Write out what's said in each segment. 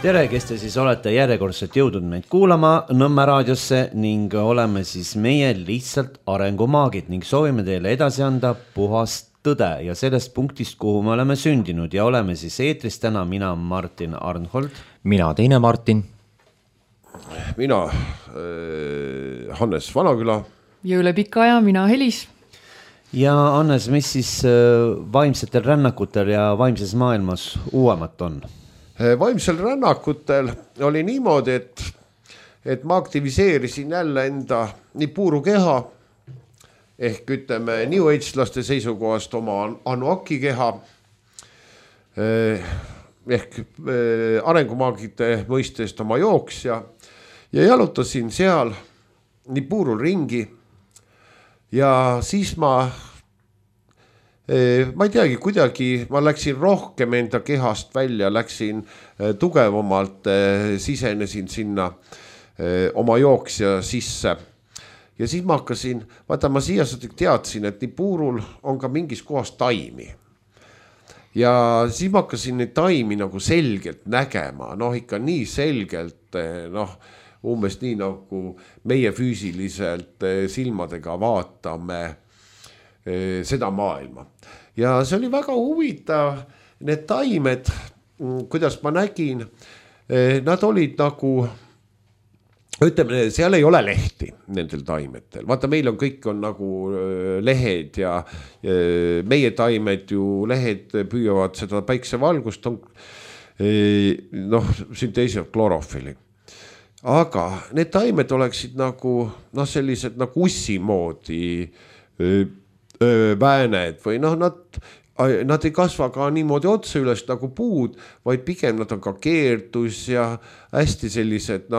Tere, kes te siis olete järjekordselt jõudnud meid kuulama Nõmme raadiosse ning oleme siis meie lihtsalt arengumaagid ning soovime teile edasi anda puhast tõde ja sellest punktist, kuhu me oleme sündinud ja oleme siis eetris täna mina Martin Arnhold. Mina teine Martin. Mina Hannes Vanaküla. Jõule Pika ja mina Helis. Ja Hannes, mis siis vaimsetel rännakutel ja vaimses maailmas uuemat on? Vaimsel rännakutel oli niimoodi, et ma aktiviseerisin jälle enda nii puuru keha ehk ütleme New Age-laste seisukohast oma Anuaki keha ehk arengumaagide mõistest oma jooksja ja jalutasin seal nii puurul ringi ja siis ma ei teagi, kuidagi ma läksin rohkem enda kehast välja, läksin tugevamalt, sisenesin sinna oma jooksja sisse. Ja siis ma hakkasin, vaata ma siiasõdik teadsin, et nii puurul on ka mingis kohas taimi. Ja siis ma hakkasin neid taimi nagu selgelt nägema, ikka nii selgelt, umbes nii nagu meie füüsiliselt silmadega vaatame seda maailma. Ja see oli väga huvitav, need taimed, kuidas ma nägin, nad olid nagu, ütleme, seal ei ole lehti nendel taimetel. Vaata, meil on kõik on nagu lehed ja meie taimed ju lehed püüavad seda päiksevalgust, sünteesivad klorofili. Aga need taimed oleksid nagu, sellised nagu ussi moodi vääned või nad ei kasva ka niimoodi otse üles nagu puud, vaid pigem nad on ka keerdus ja hästi sellised,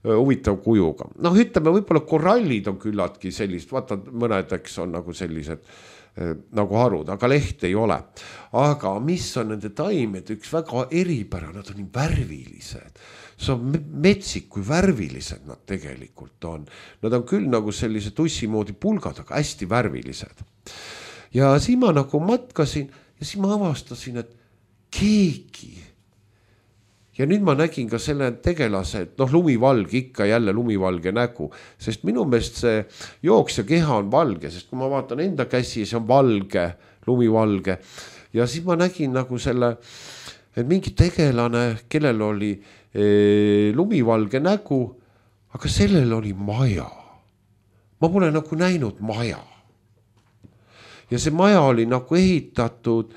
huvitav kujuga. Ütleme, võib-olla korallid on küllatki sellist, vaata mõnedeks on nagu sellised nagu harud, aga leht ei ole. Aga mis on nende taimed, üks väga eripära, nad on nii värvilised. See on metsik, kui värvilised nad tegelikult on. Nad on küll nagu sellised tussimoodi pulgad, aga hästi värvilised. Ja siis ma nagu matkasin ja siis ma avastasin, et keegi. Ja nüüd ma nägin ka selle tegelase, et lumivalge, ikka jälle lumivalge nägu. Sest minu meelest see jooksja keha on valge, sest kui ma vaatan enda käsi, see on valge, lumivalge. Ja siis ma nägin nagu selle, et mingi tegelane, kellel oli lumivalge nägu, aga sellel oli maja. Ma pole nagu näinud maja. Ja see maja oli nagu ehitatud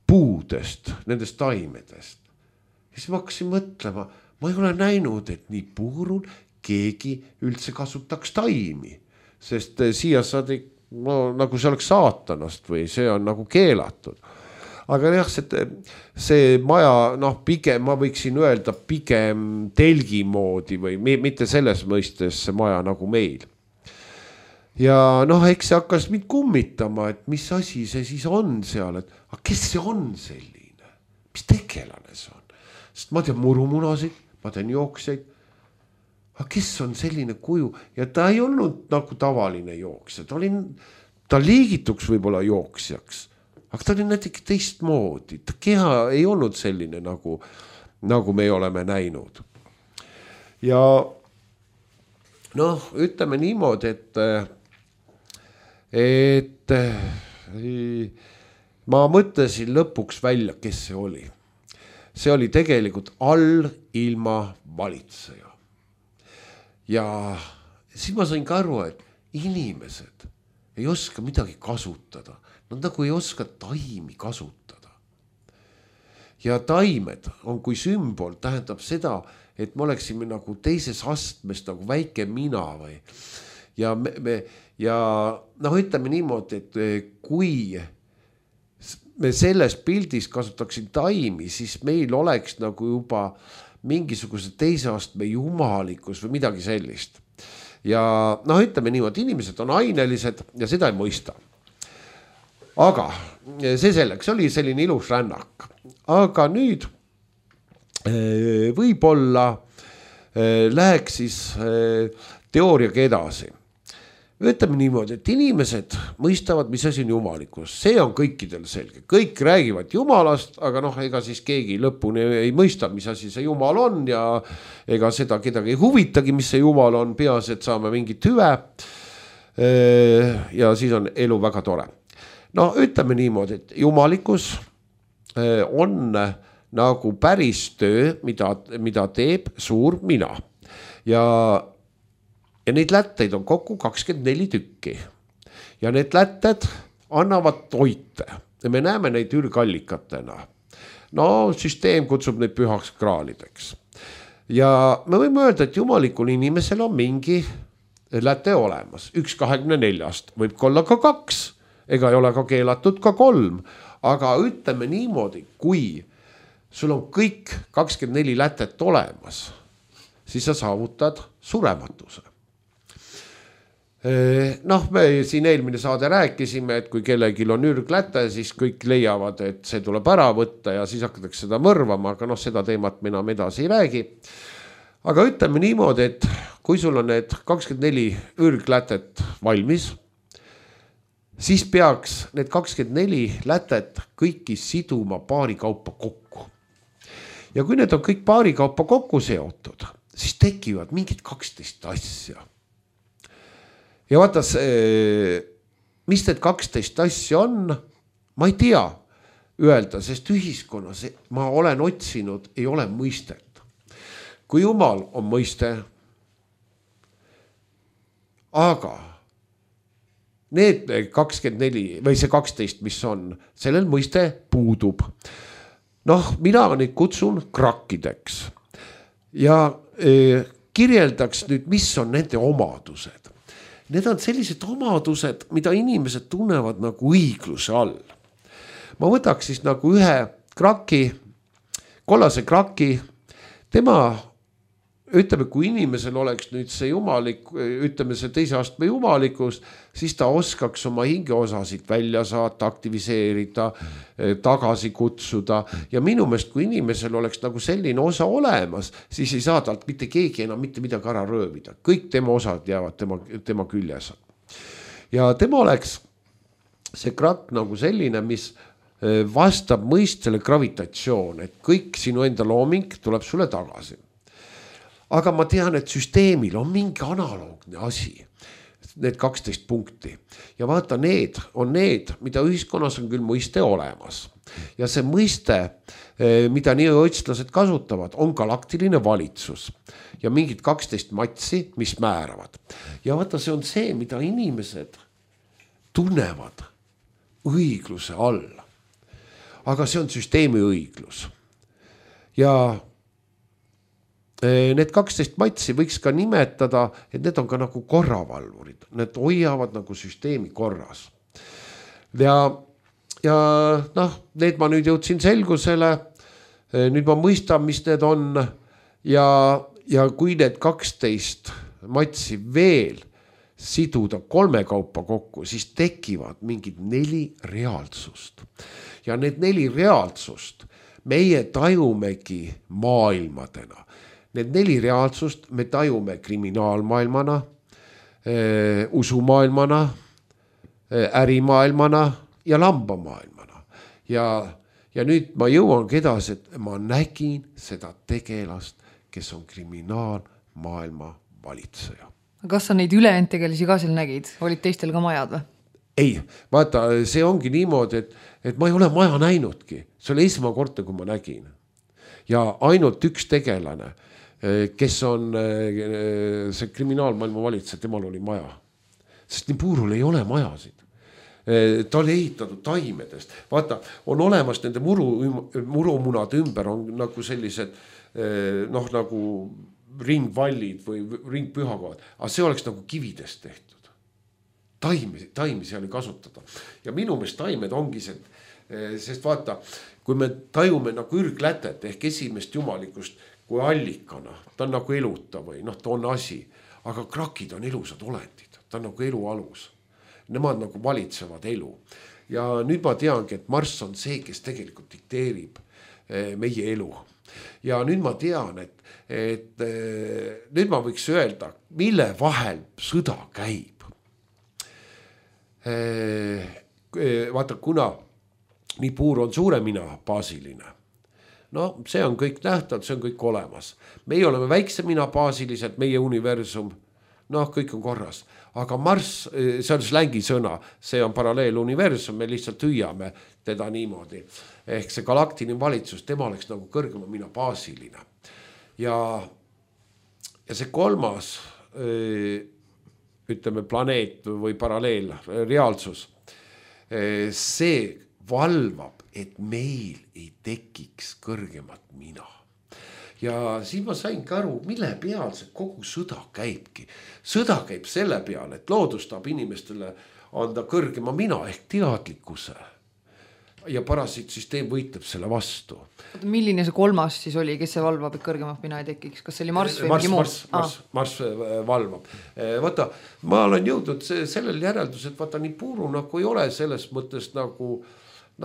puudest, nendest taimedest. Ja siis ma hakkasin mõtlema, ma ei ole näinud, et nii puurul keegi üldse kasutaks taimi. Sest siia saadi, nagu see oleks saatanast või see on nagu keelatud. Aga jah, see maja, pigem, ma võiksin öelda pigem telgi moodi või mitte selles mõistes see maja nagu meil. Ja eks see hakkas mind kummitama, et mis asi see siis on seal, et kes see on selline, mis tegelane see on. Sest ma tean murumunasid, ma tean jooksjaid, aga kes on selline kuju ja ta ei olnud nagu tavaline jooksja, ta liigituks võib-olla jooksjaks. Aga ta oli näiteks teistmoodi, ta keha ei olnud selline nagu me oleme näinud. Ja ütleme niimoodi, et ma mõtlesin lõpuks välja, kes see oli. See oli tegelikult allilma valitseja. Ja siis ma sain ka aru, et inimesed ei oska midagi kasutada. Nad nagu ei oska taimi kasutada. Ja taimed on kui sümbol, tähendab seda, et me oleksime nagu teises astmes nagu väike mina või. Ja ütleme niimoodi, et kui me selles pildis kasutaksin taimi, siis meil oleks nagu juba mingisuguse teise astme jumalikkus või midagi sellist. Ja ütleme niimoodi, inimesed on ainelised ja seda ei mõista. Aga see selleks oli selline ilus rännak. Aga nüüd võib-olla läheks siis teooriaga edasi. ütleme niimoodi, et inimesed mõistavad, mis asi on jumalikkus, see on kõikidel selge, kõik räägivad jumalast, aga ega siis keegi lõpuni ei mõista, mis asi see jumal on ja ega seda kedagi ei huvitagi, mis see jumal on, peas, et saame mingit hüve. Ja siis on elu väga tore. No ütleme niimoodi, et jumalikkus on nagu päris töö, mida teeb suur mina ja neid lätteid on kokku 24 tükki ja need lätted annavad toite ja me näeme neid ürgallikatena. No süsteem kutsub neid pühaks kraalideks ja me võime öelda, et jumalikul inimesel on mingi läte olemas, 1/24, võib olla ka 2, ega ei ole ka keelatud ka 3, aga ütleme niimoodi, kui sul on kõik 24 lätet olemas, siis sa saavutad surematuse. Noh, me siin eelmine saade rääkisime, et kui kellelgi on ürgläte, siis kõik leiavad, et see tuleb ära võtta ja siis hakatakse seda mõrvama, aga seda teemat me enam edasi ei räägi. Aga ütleme niimoodi, et kui sul on need 24 ürglätet valmis, siis peaks need 24 lätet kõiki siduma paari kaupa kokku. Ja kui need on kõik paari kaupa kokku seotud, siis tekivad mingid 12 asja. Ja vaata, mis need 12 asja on, ma ei tea öelda, sest ühiskonnas ma olen otsinud, ei ole mõistet. Kui jumal on mõiste, aga need 24 või see 12, mis on, sellel mõiste puudub. Noh, mina neid kutsun krakkideks ja kirjeldaks nüüd, mis on nende omadused. Need on sellised omadused, mida inimesed tunnevad nagu õigluse all. Ma võtaks siis nagu ühe kraki, kollase kraki, tema, ütleme, kui inimesel oleks nüüd see jumalik, ütleme see teise astme jumalikus, siis ta oskaks oma hingeosasid välja saata, aktiviseerida, tagasi kutsuda. Ja minu meelest, kui inimesel oleks nagu selline osa olemas, siis ei saa talt mitte keegi enam mitte midagi ära röövida. Kõik tema osad jäävad tema küljes. Ja tema oleks see krakk nagu selline, mis vastab mõistele gravitatsioon, et kõik sinu enda looming tuleb sulle tagasi. Aga ma tean, et süsteemil on mingi analoogne asi, need 12 punkti. Ja vaata, need on need, mida ühiskonnas on küll mõiste olemas. Ja see mõiste, mida nii otslased kasutavad, on galaktiline valitsus. Ja mingid 12 matsi, mis määravad. Ja vaata, see on see, mida inimesed tunnevad õigluse all. Aga see on süsteemi õiglus. Ja need 12 matsi võiks ka nimetada, et need on ka nagu korravalvurid. Need hoiavad nagu süsteemi korras. Ja need ma nüüd jõudsin selgusele. Nüüd ma mõistan, mis need on. Ja kui need 12 matsi veel siduda 3 kaupa kokku, siis tekivad mingid 4 reaalsust. Ja need 4 reaalsust meie tajumegi maailmadena. Need 4 reaalsust me tajume kriminaalmaailmana, usumaailmana, ärimaailmana ja lambamaailmana. Ja nüüd ma jõuangi edasi, et ma nägin seda tegelast, kes on kriminaalmaailma valitseja. Kas sa neid ülejäänud tegelisi ka seal nägid? Olid teistel ka majad või? Ei, vaata, see ongi niimoodi, et ma ei ole maja näinudki. See oli esmakord, kui ma nägin. Ja ainult üks tegelane, kes on see kriminaalmaailma valitseja, temal oli maja. Sest Niburul ei ole majasid. Ta oli ehitatud taimedest. Vaata, on olemas nende murumunade ümber on nagu sellised nagu ringvallid või ringpühakohad. Aga see oleks nagu kividest tehtud. Taimi seal ei kasutada. Ja minu meelest taimed ongi see, sest vaata, kui me tajume nagu ürglätet ehk esimest jumalikust kui allikana, ta on nagu eluta või ta on asi, aga krakid on elusad olendid, ta on nagu elu alus. Nemad nagu valitsevad elu. Ja nüüd ma teangi, et Marss on see, kes tegelikult dikteerib meie elu. Ja nüüd ma tean, et nüüd ma võiks öelda, mille vahel sõda käib. vaata, kuna Nibiru on suure mina baasiline, no see on kõik nähtav, see on kõik olemas. Meie oleme väikse mina baasilised, meie universum, noh, kõik on korras. Aga Marss, see on slängi sõna, see on paralleeluniversum, me lihtsalt hüüame teda niimoodi. Ehk see galaktiline valitsus, tema oleks nagu kõrgema mina baasiline. Ja see kolmas, ütleme, planeet või paralleel, reaalsus, see valvab, et meil ei tekiks kõrgemat mina. Ja siis ma saingi aru, mille peal see kogu sõda käibki. Sõda käib selle peal, et loodus tahab inimestele anda kõrgema mina ehk teadlikkuse. Ja parasiitsüsteem võitleb selle vastu. Milline see kolmas siis oli, kes see valvab, et kõrgemat mina ei tekiks? Kas see oli Marss või mingi muud? Marss valvab. Vaata, ma olen jõudnud sellel järeldus, et vaata, Nibiru nagu ei ole selles mõttes nagu,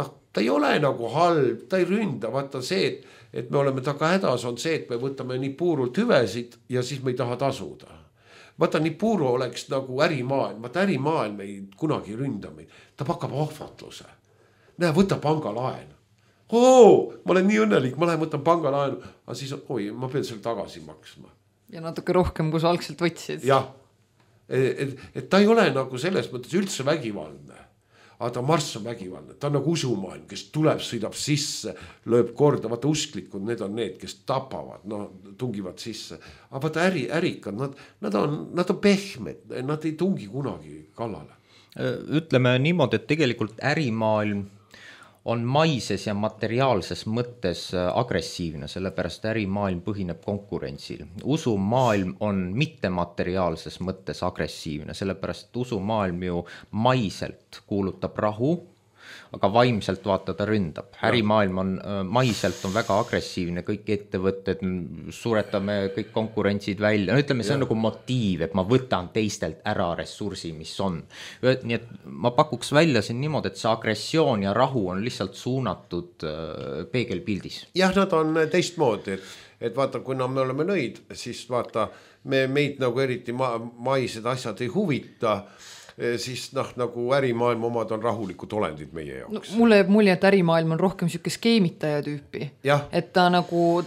noh, ta ei ole nagu halb, ta ei ründa. Vaata see, et me oleme taga hädas, on see, et me võtame Nibirult hüvesid ja siis me ei taha tasuda. Vaata, Nibiru oleks nagu ärimaailm. Vaata, ärimaailm ei kunagi ründa meid. Ta pakkab ohvatluse. Näe, võta pangalaen. Ma olen nii õnnelik, ma lähen võtan pangalaenu. Aga siis, ma pean selle tagasi maksma. Ja natuke rohkem, kui sa algselt võtsid. Jah, et ta ei ole nagu selles mõttes üldse vägivaldne. Aga ta Marss on vägivaldne. Ta on nagu usumaailm, kes tuleb, sõidab sisse, lööb korda. Vaata, usklikud, need on need, kes tapavad, no, tungivad sisse. Aga vaata, ärikad, nad on pehmed, nad ei tungi kunagi kallale. Ütleme niimoodi, et tegelikult ärimaailm on maises ja materiaalses mõttes agressiivne, sellepärast ärimaailm põhineb konkurentsil. Usumaailm on mittemateriaalses mõttes agressiivne, sellepärast usumaailm ju maiselt kuulutab rahu, aga vaimselt vaata ta ründab. Ärimaailm on maiselt on väga agressiivne, kõik ettevõtted, suretame kõik konkurentsid välja. No ütleme, see on nagu motiiv, et ma võtan teistelt ära ressursi, mis on. Nii et ma pakuks välja siin niimoodi, et see agressioon ja rahu on lihtsalt suunatud peegelpildis. Jah, nad on teistmoodi, et vaata, kui me oleme nõid, siis vaata, meid nagu eriti maised asjad ei huvita, siis nagu ärimaailm omad on rahulikud olendid meie jaoks. No, mulle jääb mulje, et ärimaailm on rohkem siuke skeemitaja tüüpi. Et ta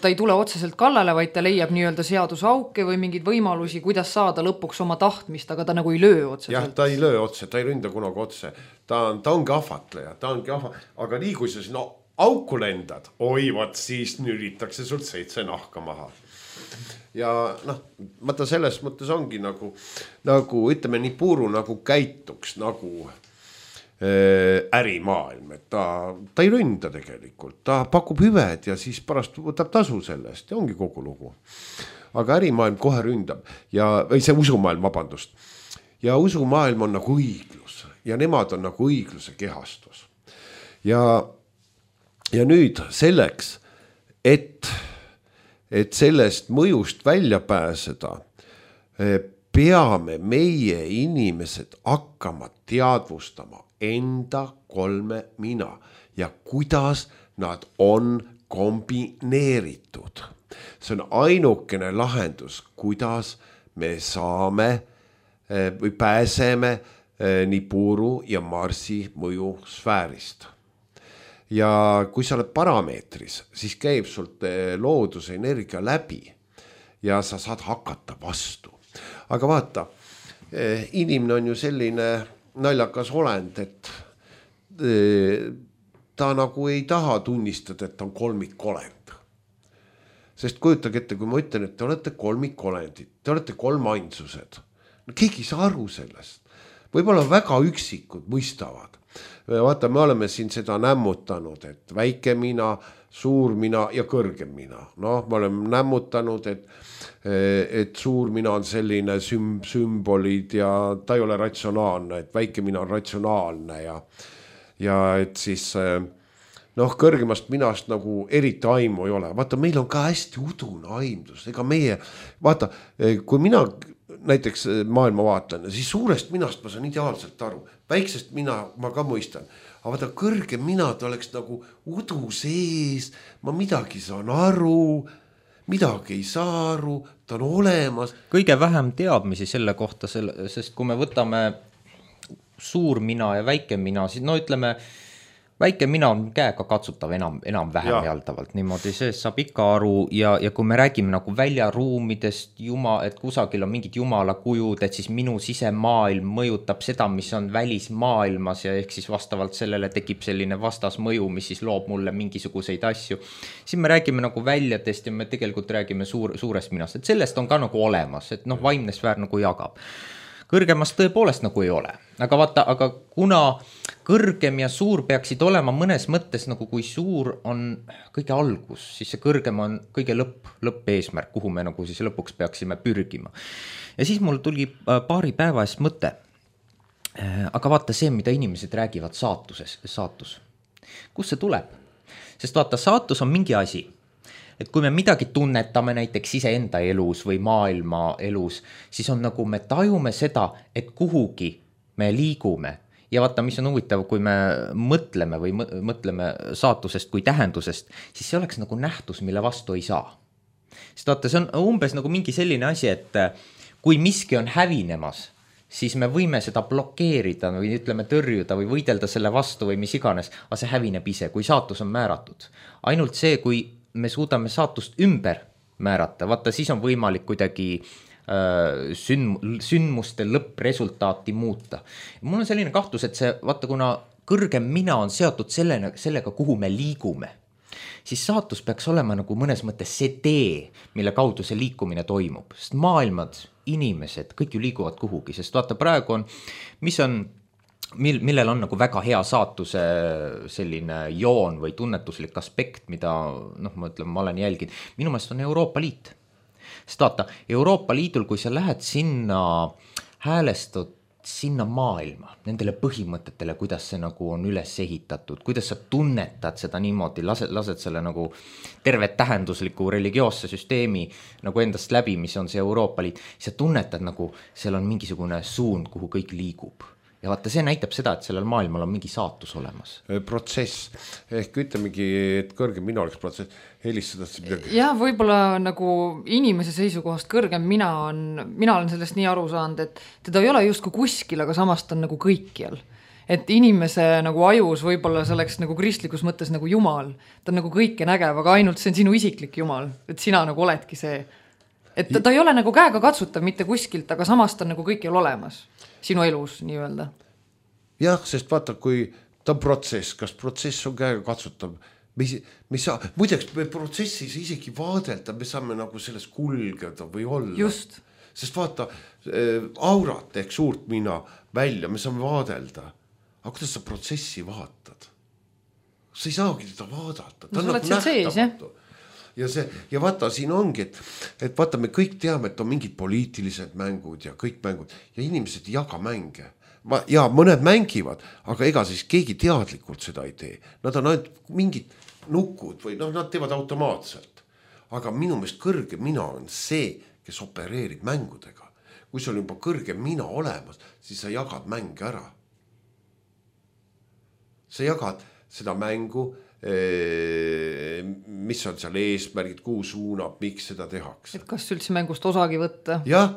ei tule otseselt kallale, vaid ta leiab nii-öelda seadusauke või mingeid võimalusi, kuidas saada lõpuks oma tahtmist, aga ta nagu ei löö otseselt. Jah, ta ei löö otse, ta ei ründa kunagi otse. Ta ongi ahvatleja, aga nii kui sa sinna auku lendad, vaat siis nüritakse sult 7 nahka maha. Ja noh, vaata selles mõttes ongi nagu ütleme, Nibiru nagu käituks nagu ärimaailm, et ta ei ründa tegelikult, ta pakub hüved ja siis pärast võtab tasu sellest ja ongi kogu lugu. Aga ärimaailm kohe ründab või see usumaailm, vabandust. Ja usumaailm on nagu õiglus ja nemad on nagu õigluse kehastus. Ja nüüd selleks, et sellest mõjust välja pääseda, peame meie inimesed hakkama teadvustama enda 3 mina ja kuidas nad on kombineeritud. See on ainukene lahendus, kuidas me saame või pääseme Nibiru ja Marsi mõjusfäärist. Ja kui sa oled parameetris, siis käib sult looduse energia läbi ja sa saad hakata vastu. Aga vaata, inimene on ju selline naljakas olend, et ta nagu ei taha tunnistada, et ta on kolmikolend. Sest kujutage ette, kui ma ütlen, et te olete kolmikolendid, te olete kolmainsused. No, keegi ei saa aru sellest. Võib-olla väga üksikud mõistavad. Vaata, me oleme siin seda nämmutanud, et väike mina, suur mina ja kõrgem mina. No, me oleme nämmutanud, et suur mina on selline sümbolid ja ta ei ole ratsionaalne, et väike mina on ratsionaalne ja et siis kõrgemast minast nagu eriti aimu ei ole. Vaata, meil on ka hästi udune aimdus. Ega meie, vaata, kui mina näiteks maailma vaatan, siis suurest minast ma saan ideaalselt aru. Väiksest mina ma ka mõistan. Aga vaata, kõrgem mina ta oleks nagu udu sees, ma midagi saan aru, midagi ei saa aru, ta on olemas. Kõige vähem teadmisi selle kohta, sest kui me võtame suur mina ja väike mina, siis no ütleme, väike mina on käega katsutav enam-vähem jaldavalt, niimoodi seest saab ikka aru ja kui me räägime nagu väljaruumidest, et kusagil on mingid jumala kujud, et siis minu sisemaailm mõjutab seda, mis on välismaailmas ja ehk siis vastavalt sellele tekib selline vastasmõju, mis siis loob mulle mingisuguseid asju. Siin me räägime nagu väljadest ja me tegelikult räägime suurest minast, et sellest on ka nagu olemas, et noh, vaimne sfäär nagu jagab. Kõrgemast tõepoolest nagu ei ole, aga vaata, aga kuna kõrgem ja suur peaksid olema mõnes mõttes nagu kui suur on kõige algus, siis see kõrgem on kõige lõppeesmärk, kuhu me nagu siis lõpuks peaksime pürgima. Ja siis mul tuli paari päeva eest mõte, aga vaata see, mida inimesed räägivad saatus. Kust see tuleb? Sest vaata, saatus on mingi asi. Et kui me midagi tunnetame näiteks iseenda elus või maailma elus, siis on nagu me tajume seda, et kuhugi me liigume. Ja vaata, mis on huvitav, kui me mõtleme saatusest kui tähendusest, siis see oleks nagu nähtus, mille vastu ei saa. Sest vaata, see on umbes nagu mingi selline asi, et kui miski on hävinemas, siis me võime seda blokeerida või ütleme tõrjuda või võidelda selle vastu või mis iganes, aga see hävineb ise, kui saatus on määratud. Ainult see, kui me suudame saatust ümber määrata, vaata siis on võimalik kuidagi sündmuste lõppresultaati muuta. Mul on selline kahtlus, et see, vaata kuna kõrgem mina on seotud sellega, kuhu me liigume, siis saatus peaks olema nagu mõnes mõttes see tee, mille kaudu see liikumine toimub. Sest maailmad, inimesed, kõik ju liiguvad kuhugi, sest vaata praegu on, millel on nagu väga hea saatuse selline joon või tunnetuslik aspekt, mida ma olen jälginud. Minu meelest on Euroopa Liit. Sest vaata, Euroopa Liidul, kui sa lähed sinna häälestud sinna maailma, nendele põhimõtetele, kuidas see nagu on üles ehitatud, kuidas sa tunnetad seda niimoodi, lased selle nagu tervet tähendusliku religioosse süsteemi nagu endast läbi, mis on see Euroopa Liit, sa tunnetad nagu seal on mingisugune suund, kuhu kõik liigub. Ja vaata, see näitab seda, et sellel maailmal on mingi saatus olemas. Protsess, ehk ütlemegi, et kõrgem mina oleks protsess, helistada midagi. Ja võib-olla nagu inimese seisukohast kõrgem mina olen sellest nii aru saanud, et teda ei ole justkui kuskil, aga samast on nagu kõikjal. Et inimese nagu ajus võib-olla see oleks nagu kristlikus mõttes nagu Jumal, ta on nagu kõike nägev, aga ainult see on sinu isiklik Jumal, et sina nagu oledki see. Et ta ei ole nagu käega katsutav mitte kuskilt, aga samast on nagu kõikjal olemas sinu elus nii öelda. Jah, sest vaata, kui ta on protsess, kas protsess on käega katsutav, muideks me protsessis isegi vaadelda, me saame nagu sellest kulgeda või olla. Just. Sest vaata, aurat ehk suurt mina välja, me saame vaadelda. Aga kuidas sa protsessi vaatad? Sa ei saagi teda vaadata. Ta on nagu nähtamatu. Ja vaata, siin ongi, et vaata, me kõik teame, et on mingid poliitilised mängud ja kõik mängud ja inimesed ei jaga mänge. Ja mõned mängivad, aga ega siis keegi teadlikult seda ei tee. Nad on ainult mingid nukud või nad teevad automaatselt. Aga minu meelest kõrge mina on see, kes opereerib mängudega. Kui sul on juba kõrge mina olemas, siis sa jagad mänge ära. Sa jagad seda mängu, mis on seal eesmärgid, kuhu suunab, miks seda tehakse. Et kas üldse mängust osagi võtta? Ja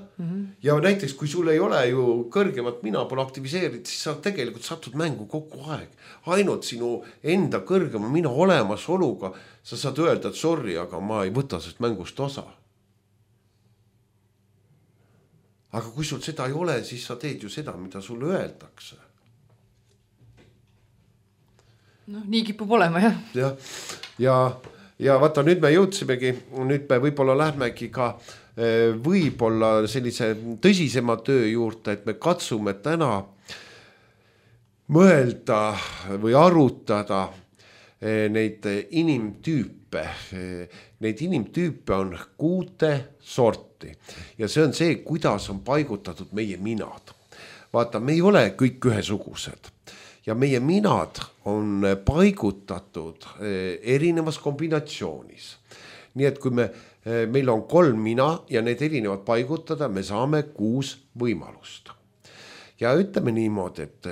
näiteks kui sul ei ole ju kõrgemat mina pole aktiviseeritud, siis sa tegelikult satud mängu kogu aeg. Ainult sinu enda kõrgema mina olemasoluga sa saad öelda, et sorry, aga ma ei võta sest mängust osa. Aga kui sul seda ei ole, siis sa teed ju seda, mida sulle öeldakse. Nii kipub olema, jah. Ja vaata, nüüd me jõudsimegi, nüüd me võib-olla lähmegi ka võib-olla sellise tõsisema töö juurde, et me katsume täna mõelda või arutada neid inimtüüpe. Neid inimtüüpe on 6 sorti ja see on see, kuidas on paigutatud meie minad. Vaata, me ei ole kõik ühesugused. Ja meie minad on paigutatud erinevas kombinatsioonis. Nii et kui meil on 3 mina ja need erinevad paigutada, me saame 6 võimalust. Ja ütleme niimoodi, et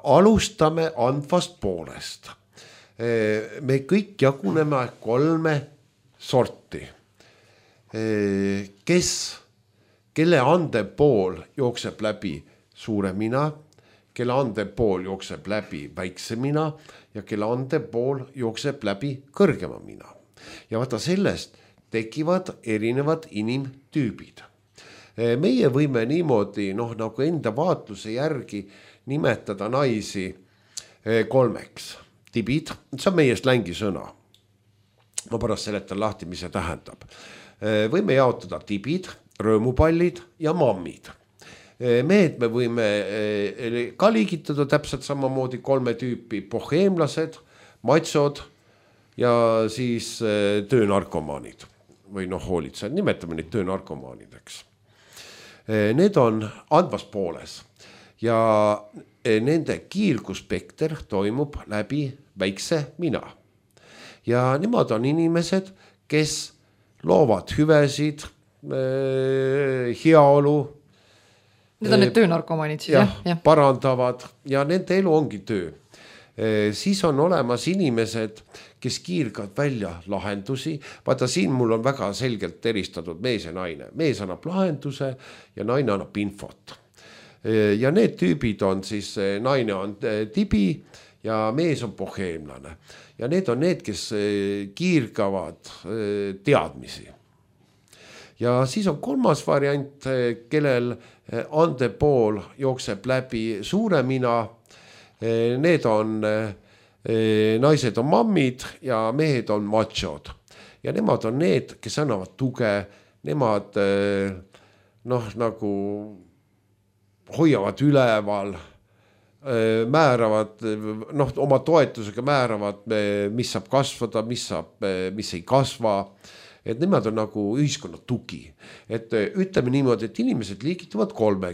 alustame andvast poolest. Me kõik jaguneme 3 sorti. Kelle ande pool jookseb läbi suure mina, kelle andev pool jookseb läbi väikse mina ja kelle andev pool jookseb läbi kõrgema mina. Ja vaata sellest tekivad erinevad inimtüübid. Meie võime niimoodi nagu enda vaatluse järgi nimetada naisi 3. Tibid, see on meie slängisõna. Ma pärast seletan lahti, mis see tähendab. Võime jaotada tibid, rõõmupallid ja mammid. Mehed me võime ka liigitada täpselt samamoodi 3 tüüpi: boheemlased, matsod ja siis töönarkomaanid või hoolitsejad, nimetame neid töönarkomaanideks. Need on andvas pooles ja nende kiirguspekter toimub läbi väikse mina. Ja nemad on inimesed, kes loovad hüvesid, heaolu. Need on need töönarkomaanid siis, jah? Parandavad ja nende elu ongi töö. Siis on olemas inimesed, kes kiirgavad välja lahendusi. Vaata, siin mul on väga selgelt eristatud mees ja naine. Mees annab lahenduse ja naine annab infot. Ja need tüübid on siis, naine on tibi ja mees on boheemlane. Ja need on need, kes kiirgavad teadmisi. Ja siis on 3. variant, kellel andev pool jookseb läbi suure mina. Need on, naised on mammid ja mehed on machod. Ja nemad on need, kes annavad tuge, nemad nagu hoiavad üleval, määravad, oma toetusega määravad, mis saab kasvada, mis ei kasva. Et nemad on nagu ühiskonna tugi. Et ütleme niimoodi, et inimesed liigituvad 3.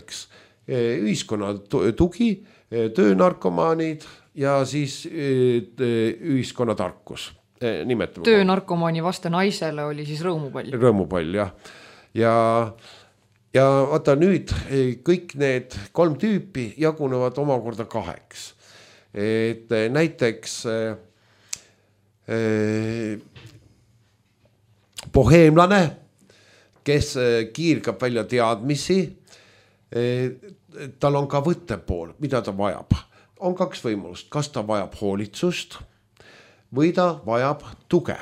Ühiskonna tugi, töönarkomaanid ja siis ühiskonna tarkus. Töönarkomaani vaste naisele oli siis rõõmupall. Rõõmupall, jah. Ja vaata nüüd kõik need 3 tüüpi jagunevad omakorda 2. Et näiteks boheemlane, kes kiirgab välja teadmisi, tal on ka võttepool, mida ta vajab. On 2 võimalust, kas ta vajab hoolitsust või ta vajab tuge.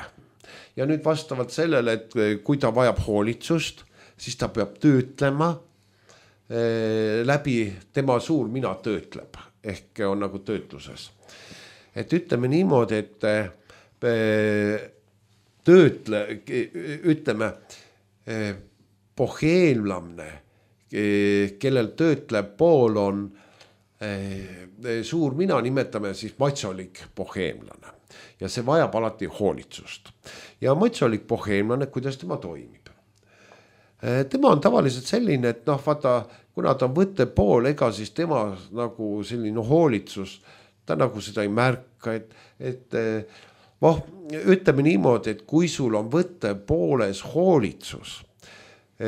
Ja nüüd vastavalt sellele, et kui ta vajab hoolitsust, siis ta peab töötlema läbi, tema suur mina töötleb, ehk on nagu töötluses. Et ütleme niimoodi, et ütleme, boheemlamne, kellel töötleb pool on suur mina, nimetame siis matsolik boheemlane. Ja see vajab alati hoolitsust. Ja matsolik boheemlane, kuidas tema toimib? Tema on tavaliselt selline, et vaata, kuna ta on võtte pool, ega siis tema nagu selline hoolitsus, ta nagu seda ei märka, et ütleme niimoodi, et kui sul on võtte pooles hoolitsus,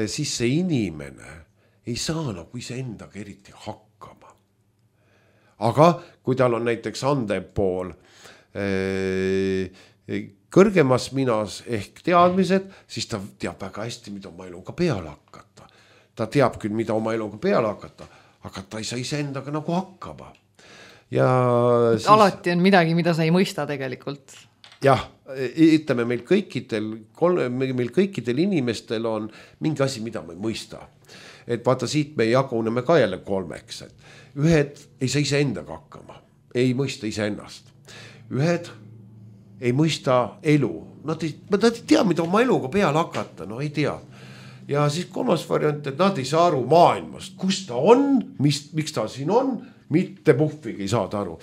siis see inimene ei saa nagu iseendaga eriti hakkama. Aga kui tal on näiteks andev pool kõrgemas minas ehk teadmised, siis ta teab väga hästi, mida oma eluga peale hakata. Ta teab küll, mida oma eluga peale hakata, aga ta ei saa iseendaga nagu hakkama. Ja siis... Alati on midagi, mida sa ei mõista tegelikult. Jah, ütleme, meil kõikidel inimestel on mingi asi, mida me ei mõista. Et vaata, siit me jaguneme ka jälle 3. Ühed ei saa iseendaga hakkama, ei mõista iseennast. Ühed ei mõista elu. Nad ei tea, mida oma eluga peale hakata, ei tea. Ja siis 3. variant, et nad ei saa aru maailmast, kus ta on, miks ta siin on, mitte puhvigi ei saada aru.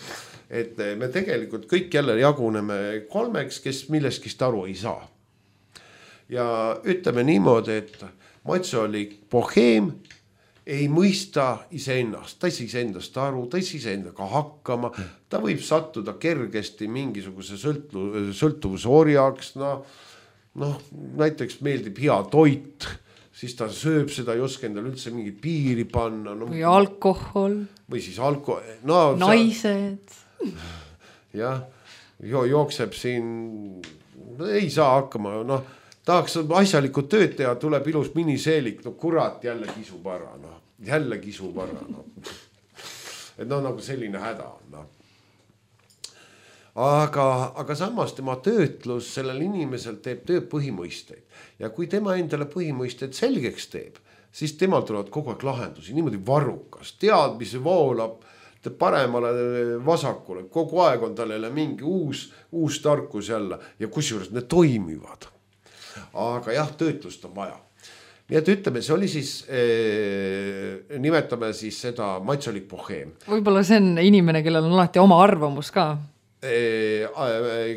Et me tegelikult kõik jälle jaguneme 3, kes millestki aru ei saa. Ja ütleme niimoodi, et matsolik boheem ei mõista iseennast, ta ei saa iseendast aru, ta ei saa iseendaga hakkama, ta võib sattuda kergesti mingisuguse sõltuvuse orjaks, näiteks meeldib hea toit, siis ta sööb seda, ei oska endale üldse mingit piiri panna. Või alkohol. Või siis alkohol. Naised. Jah, jookseb siin, ei saa hakkama, tahaks asjalikud tööd teha, tuleb ilus miniseelik, kurat, jälle kisub ära, jälle kisub ära. et no nagu selline häda on, noh. Aga samas tema töötlus sellel inimesel teeb tööpõhimõisteid ja kui tema endale põhimõisteid selgeks teeb, siis temal tulevad kogu aeg lahendusi, niimoodi varrukas, teadmisi voolab paremale vasakule, kogu aeg on tal jälle mingi uus tarkus jälle ja kusjuures need toimivad. Aga jah, töötlust on vaja. Nii et ütleme, see oli siis, nimetame siis seda maitsolik boheem. Võib-olla see on inimene, kellel on alati oma arvamus ka.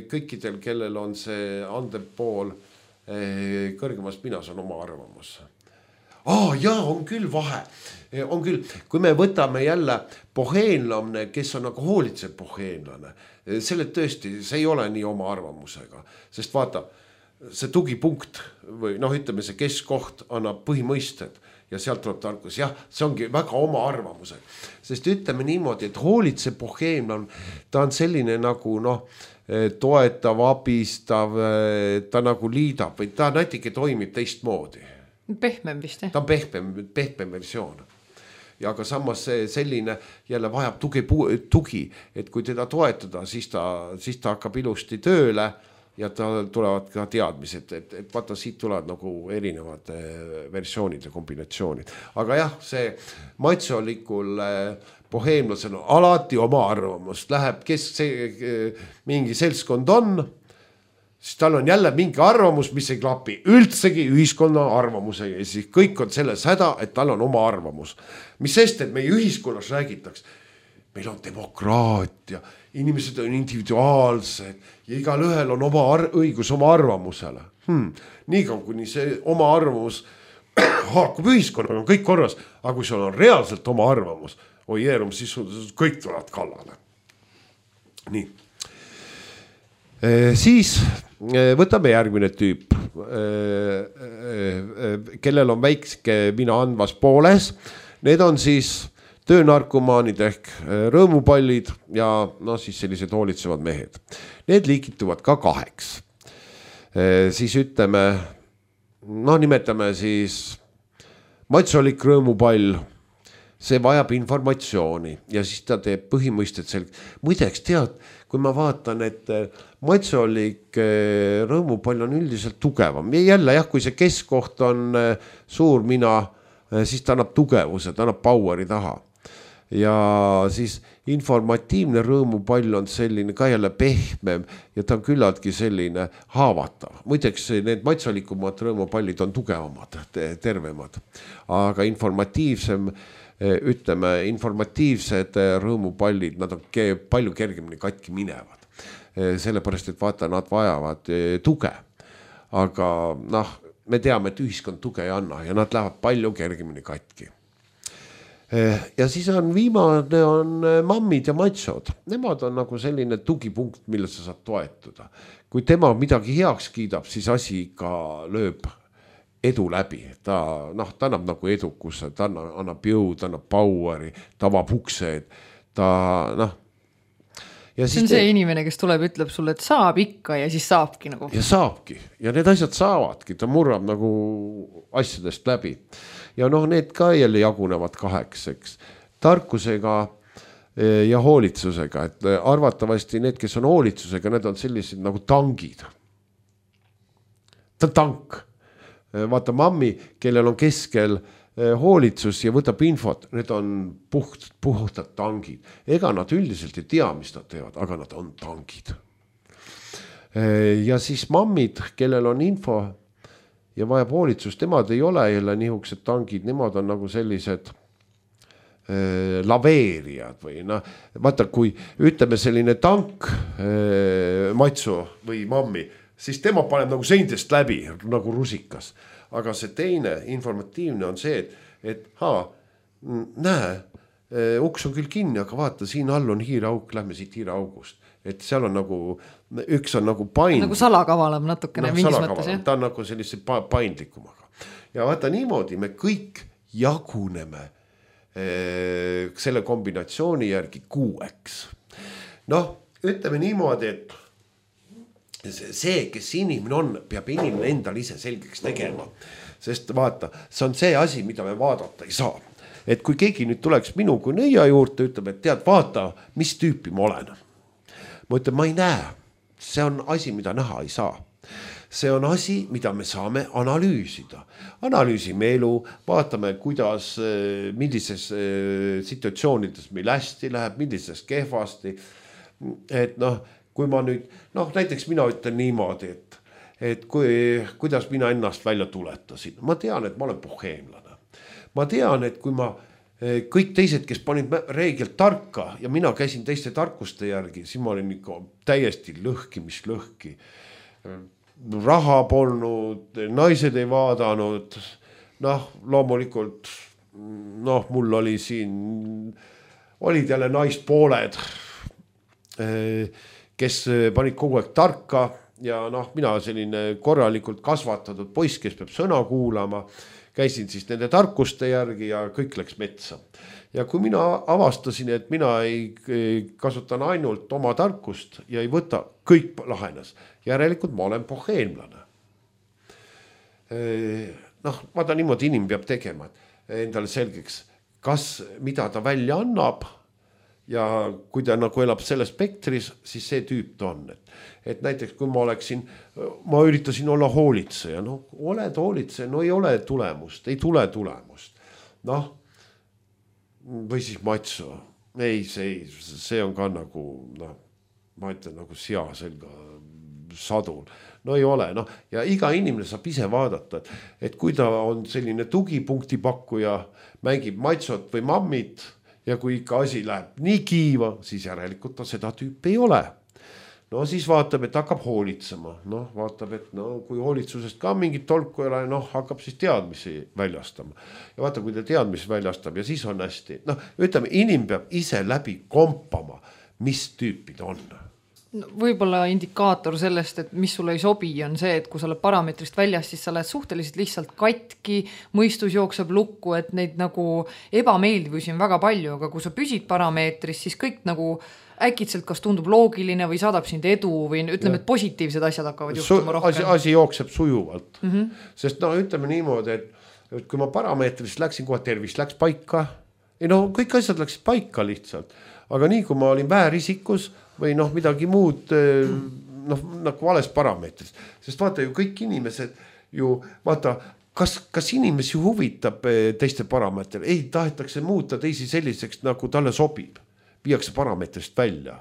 Kõikidel, kellel on see andev pool kõrgemas pinas on oma arvamus. Jaa, on küll vahe. On küll, kui me võtame jälle boheenlamne, kes on nagu hoolitsev boheenlane, selle tõesti, see ei ole nii oma arvamusega, sest vaata, see tugipunkt või noh, ütleme see keskkoht annab põhimõisted ja sealt tuleb tarkus. Jah, see ongi väga oma arvamused, sest ütleme niimoodi, et hoolitsev boheenlane, ta on selline nagu toetav, abistav, ta nagu liidab või ta natuke toimib teistmoodi. Pehmem vist, jah? Ta on pehmem versioon. Ja aga samas selline jälle vajab tugi, et kui teda toetada, siis ta hakkab ilusti tööle ja tal tulevad ka teadmised, et vaata siit tulevad nagu erinevad versioonid ja kombinatsioonid. Aga jah, see maitsolikul boheemlasel on alati oma arvamus. Läheb, kes mingi seltskond on, siis tal on jälle mingi arvamus, mis ei klapi üldsegi ühiskonna arvamusega. Ja siis kõik on selles häda, et tal on oma arvamus. Mis sest, et meie ühiskonnas räägitaks, meil on demokraatia, inimesed on individuaalsed ja igal ühel on oma õigus oma arvamusele. Nii kaua, kuni see oma arvamus haakub ühiskonnaga, on kõik korras, aga kui sul on reaalselt oma arvamus, siis kõik tulevad kallale. Nii. Siis võtame järgmine tüüp, kellel on väikske mina andvas pooles. Need on siis töönarkomaanid ehk rõõmupallid ja siis sellised hoolitsevad mehed. Need liikituvad ka 2. Siis ütleme, nimetame siis maitsolik rõõmupall, see vajab informatsiooni ja siis ta teeb põhimõisted selge. Muideks tead, kui ma vaatan, et maitsolik rõõmupall on üldiselt tugevam. Ja jälle jah, kui see keskkoht on suur mina, siis ta annab tugevuse, ta annab poweri taha. Ja siis informatiivne rõõmupall on selline ka jälle pehmem ja ta on küllaltki selline haavatav. Muideks need maitsolikumad rõõmupallid on tugevamad, tervemad, aga informatiivsed rõõmupallid, nad on palju kergemini katki minevad. Sellepärast, et vaata, nad vajavad tuge, aga me teame, et ühiskond tuge ei anna ja nad lähevad palju kergemini katki. Ja siis on viimane on mammid ja maitsod. Nemad on nagu selline tugipunkt, mille sa saad toetuda. Kui tema midagi heaks kiidab, siis asi ka lööb edu läbi. Ta annab nagu edukuse, ta annab jõud, ta annab poweri, ta avab uksed, Ja see on see inimene, kes tuleb, ütleb sulle, et saab ikka ja siis saabki nagu. Ja saabki ja need asjad saavadki, ta murrab nagu asjadest läbi. Ja need ka jälle jagunevad 2, eks. Tarkusega ja hoolitsusega, et arvatavasti need, kes on hoolitsusega, need on sellised nagu tangid. Ta on tank. Vaata mammi, kellel on keskel hoolitsus ja võtab infot, need on puhtad tangid. Ega nad üldiselt ei tea, mis nad teevad, aga nad on tangid. Ja siis mammid, kellel on info ja vajab hoolitsust, nemad ei ole jälle nihukesed tangid, nemad on nagu sellised laveerijad või vaata, kui ütleme selline tank matsu või mammi, siis tema paneb nagu seintest läbi nagu rusikas. Aga see teine informatiivne on see, et näe, uks on küll kinni, aga vaata, siin all on hiirauk, lähme siit hiiraaugust. Et seal on nagu, üks on nagu paindlik. Nagu salakavalam natukene mingis mõttes. Ta on nagu sellise paindlikumaga. Ja vaata niimoodi, me kõik jaguneme selle kombinatsiooni järgi 6. Ütleme niimoodi, et see, kes inimene on, peab inimene endal ise selgeks tegema. Sest vaata, see on see asi, mida me vaadata ei saa. et kui keegi nüüd tuleks minu kui nõia juurde, ütleb, et tead, vaata, mis tüüpi ma olen. Ma ütlen, ma ei näe, see on asi, mida näha ei saa. See on asi, mida me saame analüüsida. Analüüsime elu, vaatame, kuidas, millises situatsioonides meil hästi läheb, millises kehvasti. Et noh, kui ma nüüd, näiteks mina ütlen niimoodi, et kuidas mina ennast välja tuletasin. Ma tean, et ma olen boheemlane. Ma tean, et kui ma kõik teised, kes panid reegelt tarka ja mina käisin teiste tarkuste järgi, siis ma olin ikka täiesti lõhki, mis lõhki. Raha polnud, naised ei vaadanud, loomulikult, mul oli siin, olid jälle naispooled, kes panid kogu aeg tarka ja mina selline korralikult kasvatatud poiss, kes peab sõna kuulama, käisin siis nende tarkuste järgi ja kõik läks metsa. Ja kui mina avastasin, et mina ei kasutan ainult oma tarkust ja ei võta, kõik lahenes. Järelikult ma olen boheemlane. Vaata niimoodi inimene peab tegema endale selgeks, mida ta välja annab ja kui ta nagu elab selles spektris, siis see tüüp ta on. Et näiteks kui ma üritasin olla hoolitseja, oled hoolitseja, ei ole tulemust, ei tule tulemust. Või siis matso. Ei, see on ka nagu, ma ütlen nagu sea selga sadul. Ei ole, ja iga inimene saab ise vaadata, et kui ta on selline tugipunkti pakkuja, mängib matsot või mammit ja kui ikka asi läheb nii kiiva, siis järelikult ta seda tüüpi ei ole. Siis vaatab, et hakkab hoolitsema. Vaatab, et kui hoolitsusest ka mingit tolku ei ole, hakkab siis teadmisi väljastama. Ja vaata, kui ta teadmisi väljastab ja siis on hästi. Ütleme, inimene peab ise läbi kompama, mis tüüpid on. Võib-olla indikaator sellest, et mis sulle ei sobi, on see, et kui sa oled parameetrist väljas, siis sa lähed suhteliselt lihtsalt katki, mõistus jookseb lukku, et neid nagu ebameeldivusi on väga palju, aga kui sa püsid parameetris, siis kõik nagu äkitselt kas tundub loogiline või saadab sind edu või ütleme, et positiivsed asjad hakkavad juhtuma rohkem. Asi jookseb sujuvalt. Sest ütleme niimoodi, et kui ma parameetrist läksin, kohe tervis läks paika. Kõik asjad läksid paika lihtsalt. Aga nii, kui ma olin väärisikus või midagi muud nagu vales parameetris. Sest vaata ju kõik inimesed ju, vaata, kas inimesi huvitab teiste parameetril? Ei, tahetakse muuta teisi selliseks, nagu talle sobib. Viiakse parameetrist välja.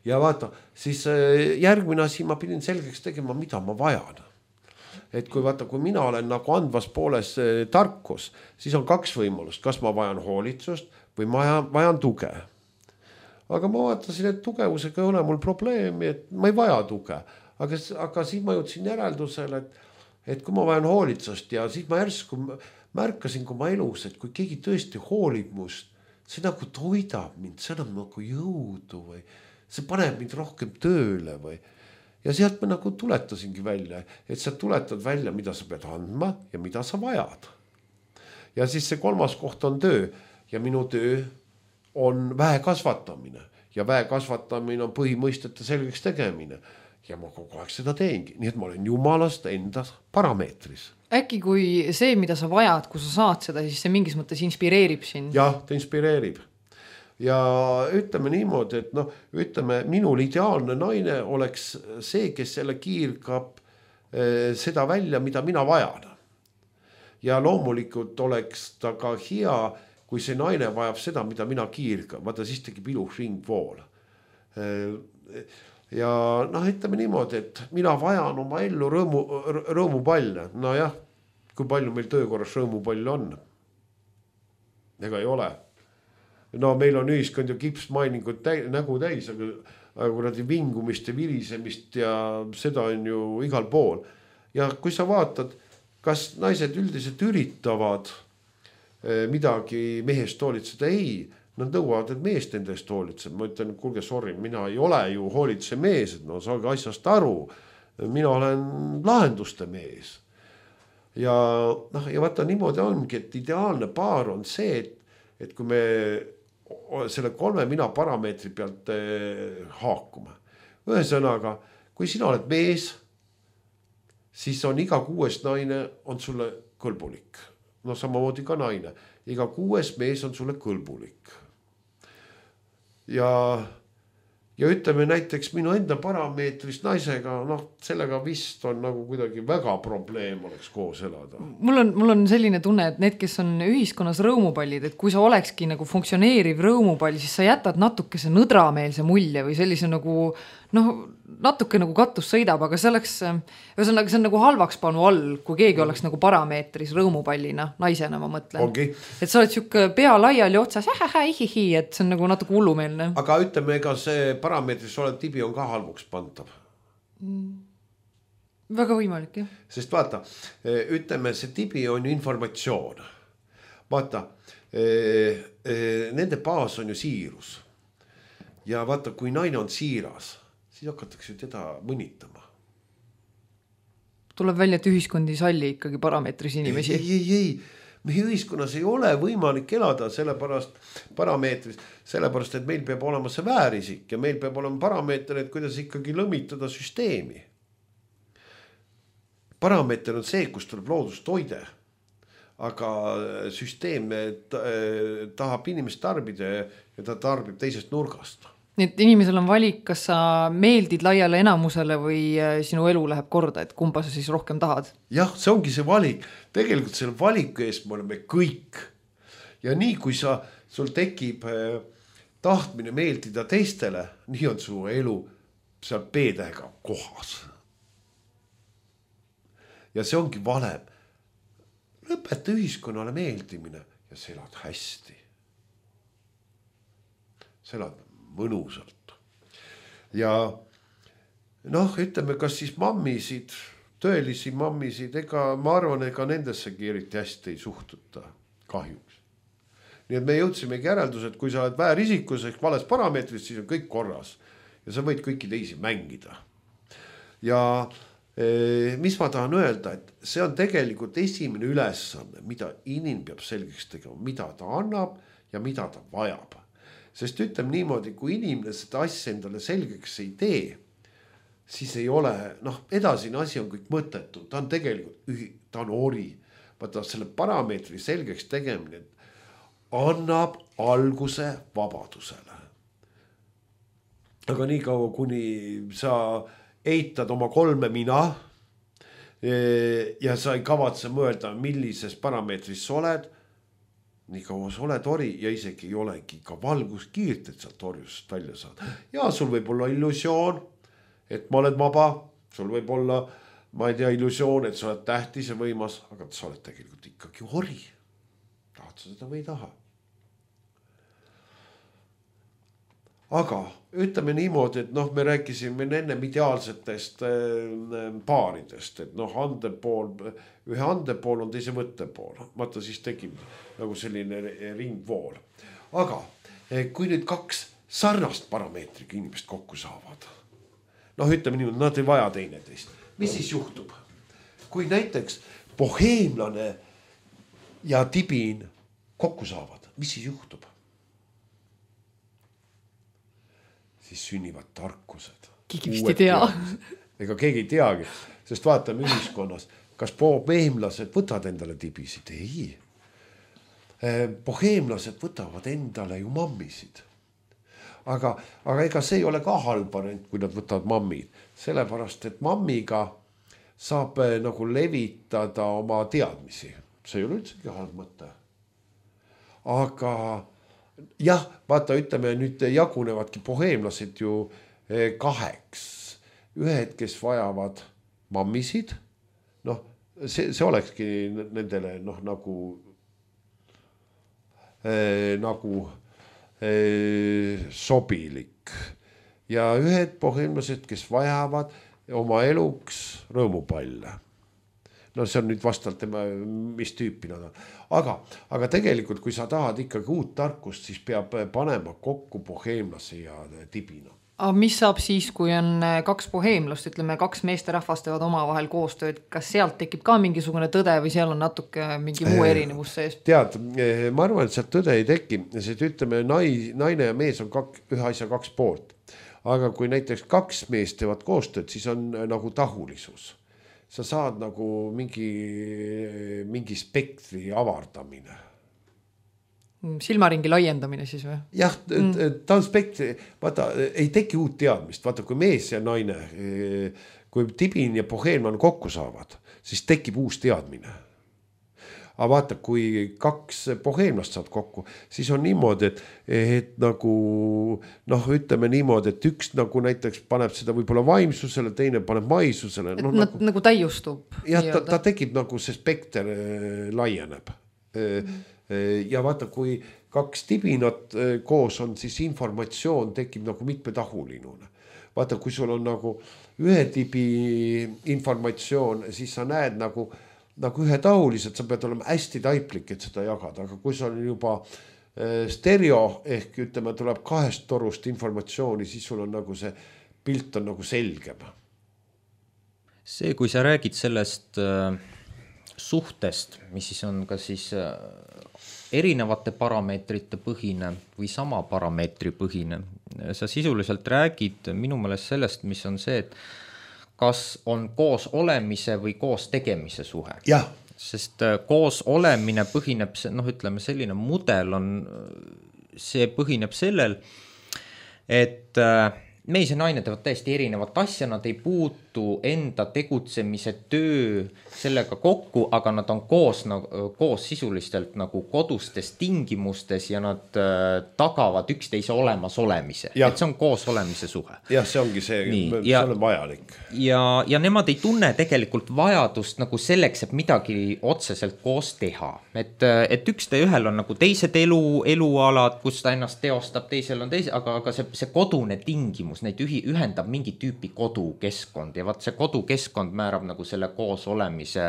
Ja vaata, siis järgmine asi ma pidin selgeks tegema, mida ma vajan. Et kui mina olen nagu andvas pooles tarkus, siis on kaks võimalust. Kas ma vajan hoolitsust või ma vajan tuge. Aga ma vaatasin, et tugevusega ei ole mul probleemi, et ma ei vaja tuge. Aga siis ma jõudsin järeldusele, et kui ma vajan hoolitsust ja siis ma järsku märkasin kui ma elus, et kui keegi tõesti hoolib must, see nagu toidab mind, see annab nagu jõudu või see paneb mind rohkem tööle või. Ja sealt ma nagu tuletasingi välja, et sa tuletad välja, mida sa pead andma ja mida sa vajad. Ja siis see kolmas koht on töö ja minu töö on väe kasvatamine ja väe kasvatamine on põhimõistete selgeks tegemine ja ma kogu aeg seda teengi, nii et ma olen jumalast enda parameetris. Äkki kui see, mida sa vajad, kui sa saad seda, siis see mingis mõttes inspireerib sind? Jah, ta inspireerib. Ja ütleme niimoodi, et ütleme, minul ideaalne naine oleks see, kes selle kiirgab seda välja, mida mina vajan. Ja loomulikult oleks ta ka hea, kui see naine vajab seda, mida mina kiirgan. Vaata, siis tekib ilus ringvool. Ja ütleme niimoodi, et mina vajan oma ellu rõõmupalle. Jah, kui palju meil töökorras rõõmupalle on? Ega ei ole. Meil on ühiskond ju kipsmainingut nägu täis, aga kuradi vingumist ja virisemist ja seda on ju igal pool. Ja kui sa vaatad, kas naised üldiselt üritavad midagi mehest hoolitseda, ei. Nad nõuavad, et meest enda eest hoolitseb. Ma ütlen, kuulge, sorry, mina ei ole ju hoolitse mees, et saage asjast aru. Mina olen lahenduste mees. Ja vaata niimoodi ongi, et ideaalne paar on see, et kui me selle 3 mina parameetri pealt haakume. Ühesõnaga, kui sina oled mees, siis on iga 6 naine on sulle kõlbulik. no samamoodi ka naine, iga 6. mees on sulle kõlbulik. Ja ütleme näiteks minu enda parameetrist naisega, sellega vist on nagu kuidagi väga probleem oleks koos elada. Mul on selline tunne, et need, kes on ühiskonnas rõõmupallid, et kui sa olekski nagu funktsioneeriv rõõmupall, siis sa jätad natukese nõdrameelse mulje või sellise nagu, natuke nagu katus sõidab, aga see oleks, ühesõnaga see on nagu halvaks panu all, kui keegi oleks nagu parameetris rõõmupallina, naisena ma mõtlen. Ongi. Et sa oled siuke pea laiali otsas, ihihi, et see on nagu natuke hullumeelne. Aga ütleme, ega see parameetris olev tibi on ka halvuks pantav. Väga võimalik, jah. Sest vaata, ütleme, see tibi on ju informatsioon. Vaata, nende baas on ju siirus. Ja vaata, kui naine on siiras, siis hakatakse teda mõnitama. Tuleb välja, et ühiskond ei salli ikkagi parameetris inimesi. Ei. Meie ühiskonnas ei ole võimalik elada parameetris, sellepärast, et meil peab olema see väärisik ja meil peab olema parameeter, et kuidas ikkagi lõmitada süsteemi. Parameeter on see, kus tuleb loodustoide, aga süsteem tahab inimest tarbida ja ta tarbib teisest nurgast. Nii et inimesel on valik, kas sa meeldid laiale enamusele või sinu elu läheb korda, et kumba sa siis rohkem tahad? Jah, see ongi see valik. Tegelikult selle valiku eest me oleme kõik. Ja nii kui sul tekib tahtmine meeldida teistele, nii on su elu seal B-tähega kohas. Ja see ongi valem. Lõpeta ühiskonnale meeldimine ja sa elad hästi. Sa elad mõnusalt. Ja ütleme, kas siis mammisid, tõelisi mammisid, ma arvan, ega nendessegi eriti hästi ei suhtuta kahjuks. Nii et me jõudsimegi järeldus, et kui sa oled väärisikus ehk vales parameetris, siis on kõik korras ja sa võid kõiki teisi mängida. Ja mis ma tahan öelda, et see on tegelikult esimene ülesanne, mida inimene peab selgeks tegema, mida ta annab ja mida ta vajab. Sest ütleme niimoodi, kui inimene seda asja endale selgeks ei tee, siis ei ole, edasine asi on kõik mõttetu. Ta on tegelikult, ta on ori. Vaata selle parameetri selgeks tegemine annab alguse vabadusele. Aga nii kaua, kuni sa eitad oma 3 mina ja sa ei kavatse mõelda, millises parameetris sa oled, nii kaua sa oled ori ja isegi ei olegi ka valguskiirt, et sealt orjusest välja saada. Ja sul võib olla illusioon, et ma oled vaba, sul võib olla, ma ei tea, illusioon, et sa oled tähtis ja võimas, aga sa oled tegelikult ikkagi ori. Tahad sa seda või ei taha? Aga ütleme niimoodi, et me rääkisime ennem ideaalsetest paaridest, et ühe andepool on teise võttepool. Vaata, siis tekib nagu selline ringvool. Aga kui nüüd 2 sarnast parameetriga inimest kokku saavad, ütleme niimoodi, nad ei vaja teineteist. Mis siis juhtub? Kui näiteks boheemlane ja tibin kokku saavad, mis siis juhtub? Siis sünnivad tarkused. Keegi vist ei tea. Ega keegi ei teagi, sest vaatame ühiskonnas, kas boheemlased võtavad endale tibisid? Ei. Boheemlased võtavad endale ju mammisid. Aga ega see ei ole ka halb variant, kui nad võtavad mammid. Sellepärast, et mammiga saab nagu levitada oma teadmisi. See ei ole üldsegi halb mõte. Aga jah, vaata, ütleme nüüd jagunevadki boheemlased ju 2. Ühed, kes vajavad mammisid, see olekski nendele nagu sobilik. Ja ühed boheemlased, kes vajavad oma eluks rõõmupalle. See on nüüd vastavalt tema, mis tüüpi nad on. Aga tegelikult, kui sa tahad ikkagi uut tarkust, siis peab panema kokku boheemlase ja tibina. Aga mis saab siis, kui on 2 boheemlast, ütleme 2 meesterahvast teevad omavahel koostööd, kas sealt tekib ka mingisugune tõde või seal on natuke mingi muu erinevus sees? Tead, ma arvan, et sealt tõde ei teki, sest ütleme, naine ja mees on ühe asja 2 poolt. Aga kui näiteks 2 meest teevad koostööd, siis on nagu tahulisus. sa saad nagu mingi spektri avardamine. Silmaringi laiendamine siis või? Jah, ta on spektri, vaata, ei teki uut teadmist, vaata kui mees ja naine, kui Tibin ja Bohemian kokku saavad, siis tekib uus teadmine. Aga vaata, kui 2 boheemlast saad kokku, siis on niimoodi, et nagu, ütleme niimoodi, et üks nagu näiteks paneb seda võib-olla vaimsusele, teine paneb maisusele. Et nagu täiustub. Jah, ta tekib nagu see spekter laieneb. Ja vaata, kui 2 tibinat koos on, siis informatsioon tekib nagu mitmetahuline. Vaata, kui sul on nagu ühe tibi informatsioon, siis sa näed nagu ühetahuliselt, sa pead olema hästi taiplik, et seda jagada, aga kui sa on juba stereo ehk ütleme, tuleb 2 torust informatsiooni, siis sul on nagu see pilt on nagu selgem. See, kui sa räägid sellest suhtest, mis siis on ka siis erinevate parameetrite põhine või sama parameetri põhine. Sa sisuliselt räägid minu meelest sellest, mis on see, et kas on koos olemise või koos tegemise suhe. Jah. Sest koos olemine põhineb, ütleme selline mudel on, see põhineb sellel, et mees ja naine teevad täiesti erinevat asja, nad ei puutu enda tegutsemise töö sellega kokku, aga nad on koos sisulistelt nagu kodustes tingimustes ja nad tagavad üksteise olemas olemise. Et see on koos olemise suhe. Jah, see ongi see, see on vajalik. Ja nemad ei tunne tegelikult vajadust nagu selleks, et midagi otseselt koos teha. Et ühel on nagu teised elualad, kus ta ennast teostab, teisel on aga see kodune tingimus, neid ühendab mingi tüüpi kodukeskkond ja vaat see kodukeskkond määrab nagu selle koos olemise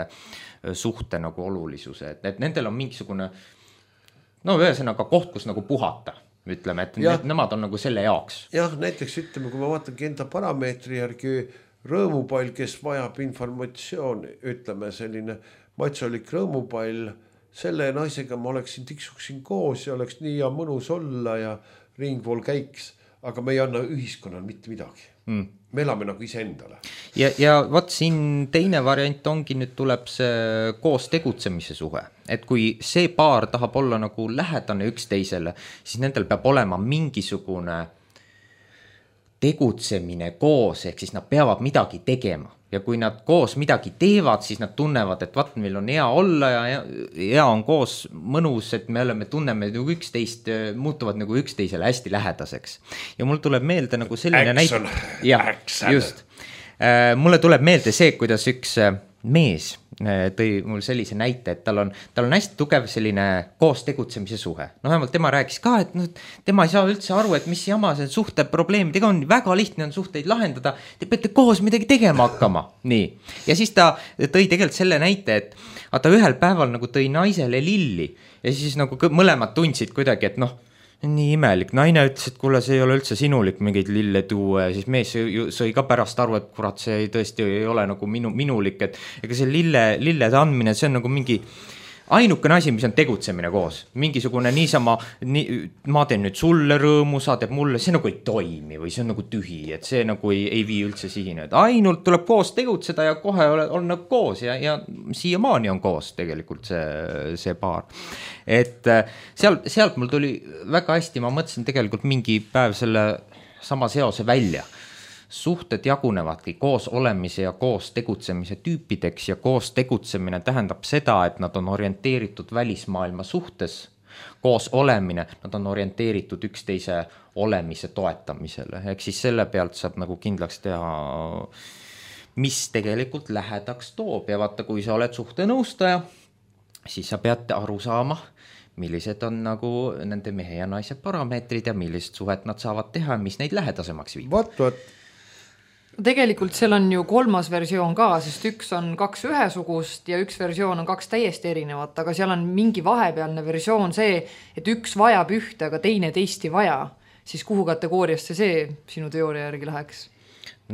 suhte nagu olulisuse, et nendel on mingisugune ühesõnaga koht, kus nagu puhata, ütleme, et nemad on nagu selle jaoks. Jah, näiteks ütleme, kui ma vaatangi enda parameetri järgi rõõmupall, kes vajab informatsiooni, ütleme selline matsolik rõõmupall, selle naisega ma tiksuksin koos ja oleks nii ja mõnus olla ja ringpool käiks. Aga me ei anna ühiskonnal mitte midagi. Me elame nagu iseendale. Ja vaat siin teine variant ongi, nüüd tuleb see koos tegutsemise suhe. Et kui see paar tahab olla nagu lähedane üksteisele, siis nendel peab olema mingisugune tegutsemine koos, ehk siis nad peavad midagi tegema. Ja kui nad koos midagi teevad, siis nad tunnevad, et vaat meil on hea olla ja hea on koos mõnus, et me tunneme nagu üksteist, muutuvad nagu üksteisele hästi lähedaseks. Ja mul tuleb meelde nagu selline näite. Just. Mulle tuleb meelde see, kuidas üks mees tõi mul sellise näite, et tal on hästi tugev selline koos tegutsemise suhe. Vähemalt tema rääkis ka, et tema ei saa üldse aru, et mis jama see suhte probleemidega on, väga lihtne on suhteid lahendada, te peate koos midagi tegema hakkama. Nii. Ja siis ta tõi tegelikult selle näite, et ta ühel päeval nagu tõi naisele lilli ja siis nagu mõlemad tundsid kuidagi, et nii imelik. Naine ütles, et kuule, see ei ole üldse sinulik mingeid lille tuua ja siis mees sõi ka pärast aru, et kurat, see tõesti ei ole nagu minulik, et ega see lillede andmine, see on nagu mingi ainukene asi, mis on tegutsemine koos. Mingisugune niisama, ma teen nüüd sulle rõõmu, sa teeb mulle, see nagu ei toimi või see on nagu tühi, et see nagu ei vii üldse sihine. Et ainult tuleb koos tegutseda ja kohe on nagu koos ja siiamaani on koos tegelikult see paar. Et sealt mul tuli väga hästi, ma mõtlesin tegelikult mingi päev selle sama seose välja. Suhted jagunevadki koos olemise ja koos tegutsemise tüüpideks ja koos tegutsemine tähendab seda, et nad on orienteeritud välismaailma suhtes. Koos olemine, nad on orienteeritud üksteise olemise toetamisele. Ehk siis selle pealt saab nagu kindlaks teha, mis tegelikult lähedaks toob. Ja vaata, kui sa oled suhtenõustaja, siis sa pead aru saama, millised on nagu nende mehe ja naise parameetrid ja millised suhet nad saavad teha, mis neid lähedasemaks viib. Vaat. Tegelikult seal on ju 3. versioon ka, sest üks on 2 ühesugust ja üks versioon on 2 täiesti erinevat, aga seal on mingi vahepealne versioon see, et üks vajab ühte, aga teine teist ei vaja. Siis kuhu kategooriasse see sinu teooria järgi läheks?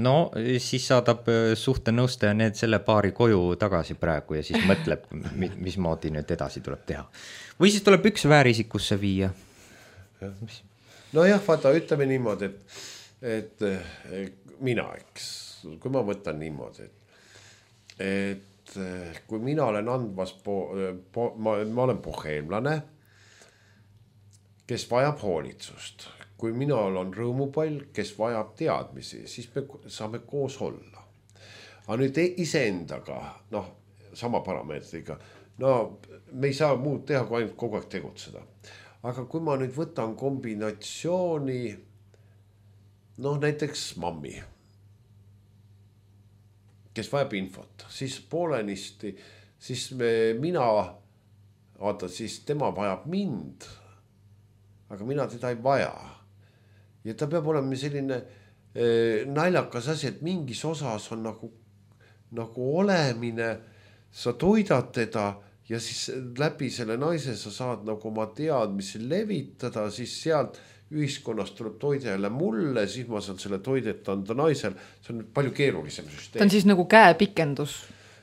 No siis saadab suhtenõustaja need selle paari koju tagasi praegu ja siis mõtleb, mismoodi nüüd edasi tuleb teha. Või siis tuleb üks väärisikusse viia. No jah, vaata, ütleme niimoodi, et mina, eks, kui ma võtan niimoodi, et kui mina olen andmas, ma olen boheemlane, kes vajab hoolitsust. Kui mina olen rõõmupall, kes vajab teadmisi, siis me saame koos olla. Aga nüüd iseendaga, noh, sama parameetriga, no me ei saa muud teha, kui ainult kogu aeg tegutseda. Aga kui ma nüüd võtan kombinatsiooni, noh näiteks mammi, kes vajab infot, siis poolenisti, siis siis tema vajab mind, aga mina teda ei vaja. Ja ta peab olema selline naljakas asi, et mingis osas on nagu olemine, sa toidad teda ja siis läbi selle naise sa saad nagu oma teadmisi levitada, siis sealt ühiskonnast tuleb toide jälle mulle, siis ma saan selle toidet anda naisel. See on palju keerulisem süsteem. Ta on siis nagu käepikendus,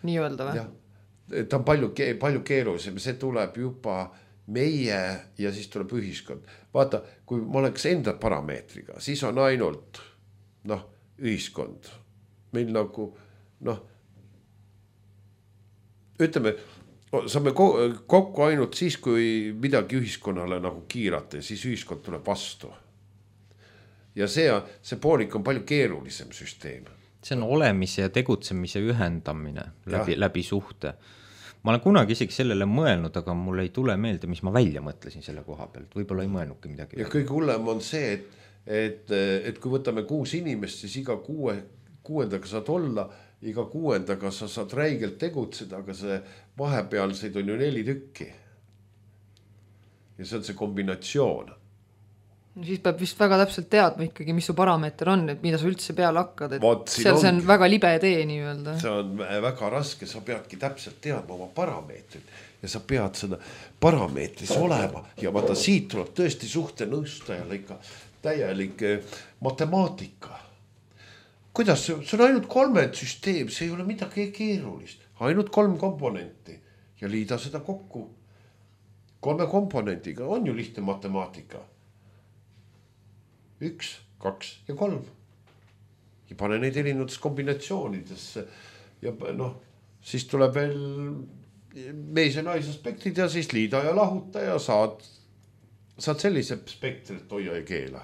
nii öelda või? Ja, ta on palju keerulisem, see tuleb juba meie ja siis tuleb ühiskond. Vaata, kui ma oleks enda parameetriga, siis on ainult ühiskond. Meil nagu, ütleme, saame kokku ainult siis, kui midagi ühiskonnale nagu kiirata ja siis ühiskond tuleb vastu. Ja see poolik on palju keerulisem süsteem. See on olemise ja tegutsemise ühendamine läbi suhte. Ma olen kunagi isegi sellele mõelnud, aga mul ei tule meelde, mis ma välja mõtlesin selle koha pealt. Võib-olla ei mõelnudki midagi. Ja kõige hullem on see, et kui võtame 6 inimest, siis iga 6. saad olla, iga 6. sa saad räigelt tegutseda, aga see vahepealseid on ju 4 tükki. Ja see on see kombinatsioon. No siis peab vist väga täpselt teadma ikkagi, mis su parameeter on, et mida sa üldse peale hakkad. See on väga libe tee nii öelda. See on väga raske, sa peadki täpselt teadma oma parameetrit ja sa pead seda parameetris olema. Ja vaata, siit tuleb tõesti suhte nõustajale ikka täielik matemaatika. Kuidas, see on ainult 3 süsteem, see ei ole midagi keerulist. Ainult 3 komponenti ja liida seda kokku. 3 komponentiga on ju lihtne matemaatika. 1, 2 ja 3. Ja pane neid erinevates kombinatsioonidesse. Ja siis tuleb veel mees ja naisaspektid ja siis liida ja lahuta ja saad sellise spektrit hoia ja keela.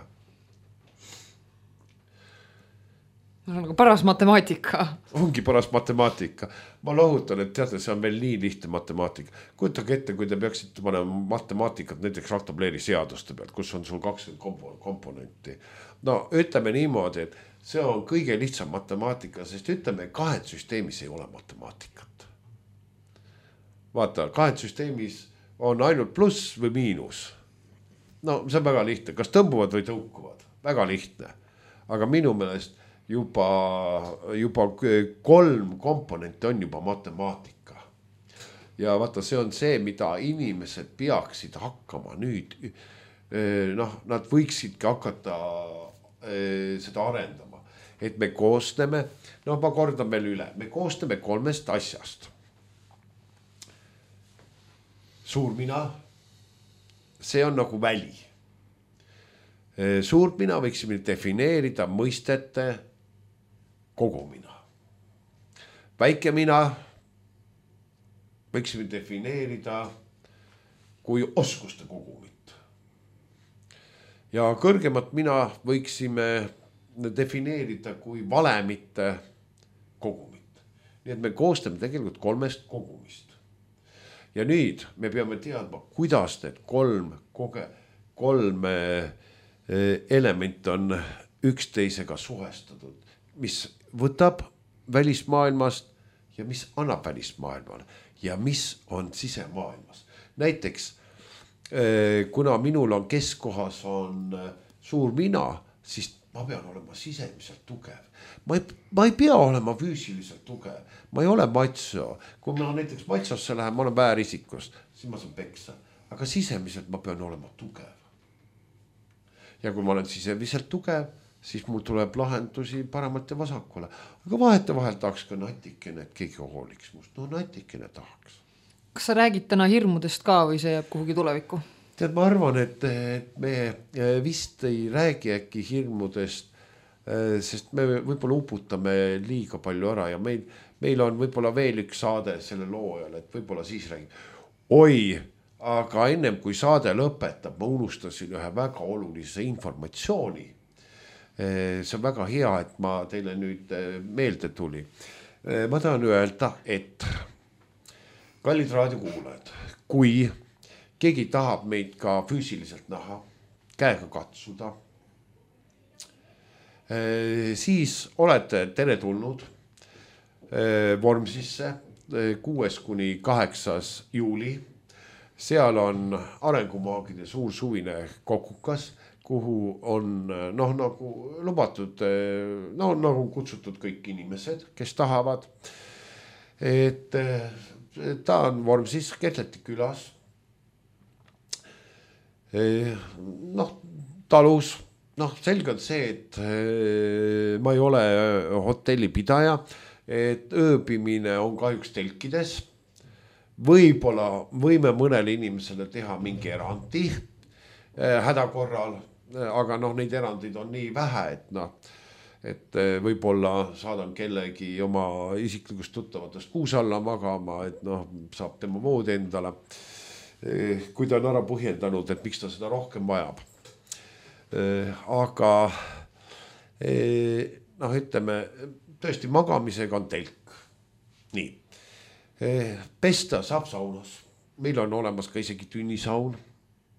See on nagu paras matemaatika. Ongi paras matemaatika. Ma lohutan, et teate, see on veel nii lihtne matemaatika. Kujutage ette, kui te peaksite panema matemaatikat näiteks raktableeri seaduste pealt, kus on sul 20 komponenti. No ütleme niimoodi, et see on kõige lihtsam matemaatika, sest ütleme, 2 süsteemis ei ole matemaatikat. Vaata, 2 süsteemis on ainult pluss või miinus. No see on väga lihtne, kas tõmbuvad või tõukuvad, väga lihtne. Aga minu meelest juba 3 komponenti on juba matemaatika. Ja vaata, see on see, mida inimesed peaksid hakkama nüüd. Nad võiksidki hakata seda arendama. Et me koosneme, ma kordan veel üle, me koosneme 3 asjast. Suurmina, see on nagu väli. Suurmina võiksime defineerida mõistete kogumina. Väikemina võiksime defineerida kui oskuste kogumit. Ja kõrgemat mina võiksime defineerida kui valemite kogumit. Nii et me koostame tegelikult 3 kogumist. Ja nüüd me peame teadma, kuidas need 3 element on üksteisega suhestatud, mis võtab välismaailmast ja mis annab välismaailmale ja mis on sisemaailmas. Näiteks, kuna minul on keskkohas on suur mina, siis ma pean olema sisemiselt tugev. Ma ei pea olema füüsiliselt tugev. Ma ei ole macho. Kui ma näiteks machosse lähen, ma olen väärisikust, siis ma saan peksa. Aga sisemiselt ma pean olema tugev. Ja kui ma olen sisemiselt tugev, siis mul tuleb lahendusi paremalt ja vasakule. Aga vahelt tahaks ka natikene, et keegi hooliks must. No natikene tahaks. Kas sa räägid täna hirmudest ka või see jääb kuhugi tulevikku? Tead, ma arvan, et me vist ei räägi äkki hirmudest, sest me võib-olla uputame liiga palju ära ja meil on võib-olla veel üks saade selle loojal, et võib-olla siis räägib. Oi, aga ennem kui saade lõpetab, ma unustasin ühe väga olulise informatsiooni. See on väga hea, et ma teile nüüd meelde tuli. Ma tahan öelda, et kallid raadiokuulajad, kui keegi tahab meid ka füüsiliselt näha, käega katsuda, siis olete teretulnud Vormsisse 6-8. juuli. Seal on Arengumaagide suur suvine kokukas, kuhu on nagu lubatud, nagu kutsutud kõik inimesed, kes tahavad. Et ta on Vormsis Ketleti külas. Talus, selge on see, et ma ei ole hotellipidaja, et ööbimine on kahjuks telkides. Võib-olla võime mõnele inimesele teha mingi erandi hädakorral, aga neid erandeid on nii vähe, et võib-olla saadan kellegi oma isiklikust tuttavatest kuus alla magama, et saab tema vood endale, kui ta on ära põhjendanud, et miks ta seda rohkem vajab. Aga ütleme, tõesti magamisega on telk. Nii. Pesta saab saunas. Meil on olemas ka isegi tünnisaun.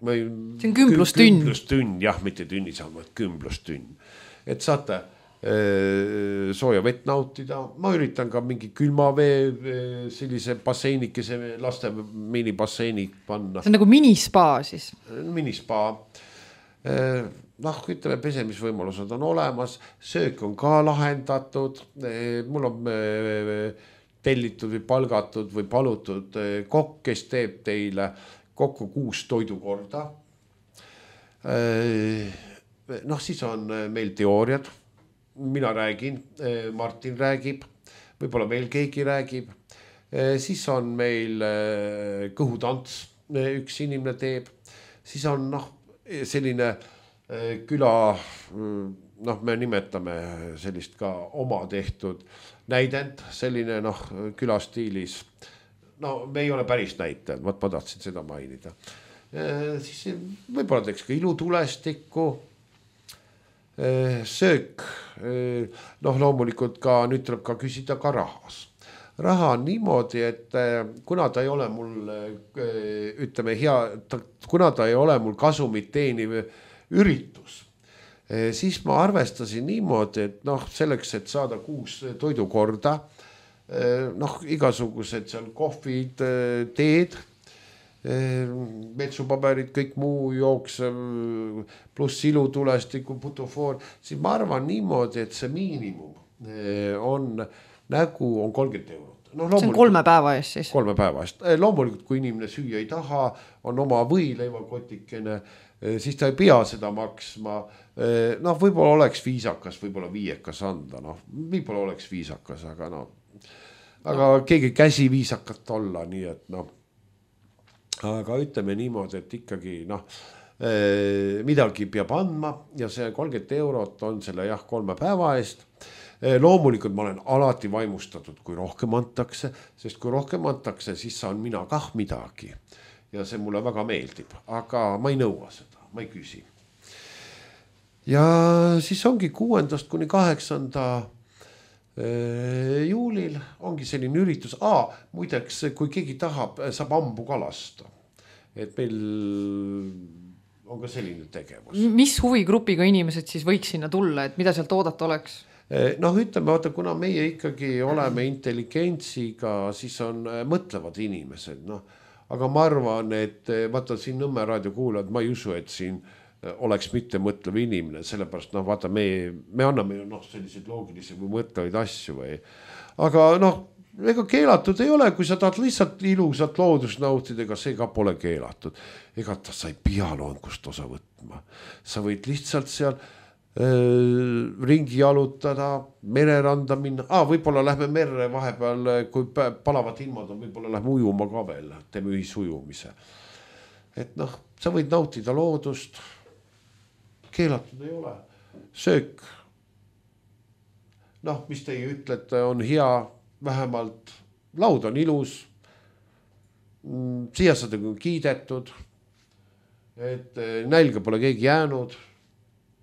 See on kümblustünn. Kümblustünn, jah, mitte tünnisaun, vaid kümblustünn. Et saate sooja vett nautida. Ma üritan ka mingi külmavee sellise basseinikese laste minibasseinik panna. See on nagu minispa siis? Minispa. Ütleme, pesemisvõimalused on olemas. Söök on ka lahendatud. Mul on tellitud või palgatud või palutud kokk, kes teeb teile kokku 6 toidukorda. Siis on meil teooriad. Mina räägin, Martin räägib, võib-olla veel keegi räägib. Siis on meil kõhutants, üks inimene teeb. Siis on selline küla, me nimetame sellist ka oma tehtud näidend, selline külastiilis. Me ei ole päris näitajad, ma tahtsin seda mainida. Siis võib-olla teeks ka ilutulestikku, söök. Loomulikult ka, nüüd tuleb ka küsida ka rahas. Raha on niimoodi, et kuna ta ei ole mul, ütleme kuna ta ei ole mul kasumit teeniv üritus, siis ma arvestasin niimoodi, et selleks, et saada 6 toidukorda, igasugused seal kohvid, teed, metsupaberid, kõik muu jooksev, pluss ilutulestiku, putofoor, siis ma arvan niimoodi, et see miinimum on 30 €. See on 3 päeva eest siis? 3 päeva eest. Loomulikult, kui inimene süüa ei taha, on oma võileivakotikene, siis ta ei pea seda maksma. Võib-olla oleks viisakas, võib-olla 5 anda. Võib-olla oleks viisakas, aga keegi käsi viisakat olla, nii et aga ütleme niimoodi, et ikkagi midagi peab andma ja see 30 € on selle 3 päeva eest. Loomulikult ma olen alati vaimustatud, kui rohkem antakse, sest kui rohkem antakse, siis saan mina kah midagi ja see mulle väga meeldib, aga ma ei nõua seda, ma ei küsi. Ja siis ongi 6. kuni 8. juulil ongi selline üritus. Muideks, kui keegi tahab, saab ambu kalasta. Et meil on ka selline tegevus. Mis huvigrupiga inimesed siis võiks sinna tulla, et mida sealt oodata oleks? Ütleme, kuna meie ikkagi oleme intelligentsiga, siis on mõtlevad inimesed. Aga ma arvan, et vaata siin Nõmme raadio kuulajad, ma ei usu, et siin oleks mitte mõtlev inimene, sellepärast vaata me anname selliseid loogilisi või mõtlevaid asju või. Aga ega keelatud ei ole, kui sa tahad lihtsalt ilusat loodust nautida, ega see ka pole keelatud. Ega sa ei pea loengust osa võtma. Sa võid lihtsalt seal ringi jalutada, mereranda minna. Võib-olla lähme merre vahepeal, kui palavad ilmad on, võib-olla lähme ujuma ka veel, teeme ühisujumise. Et sa võid nautida loodust, keelatud ei ole. Söök, mis teie ütlete, on hea, vähemalt laud on ilus, siiasadega on kiidetud, et nälga pole keegi jäänud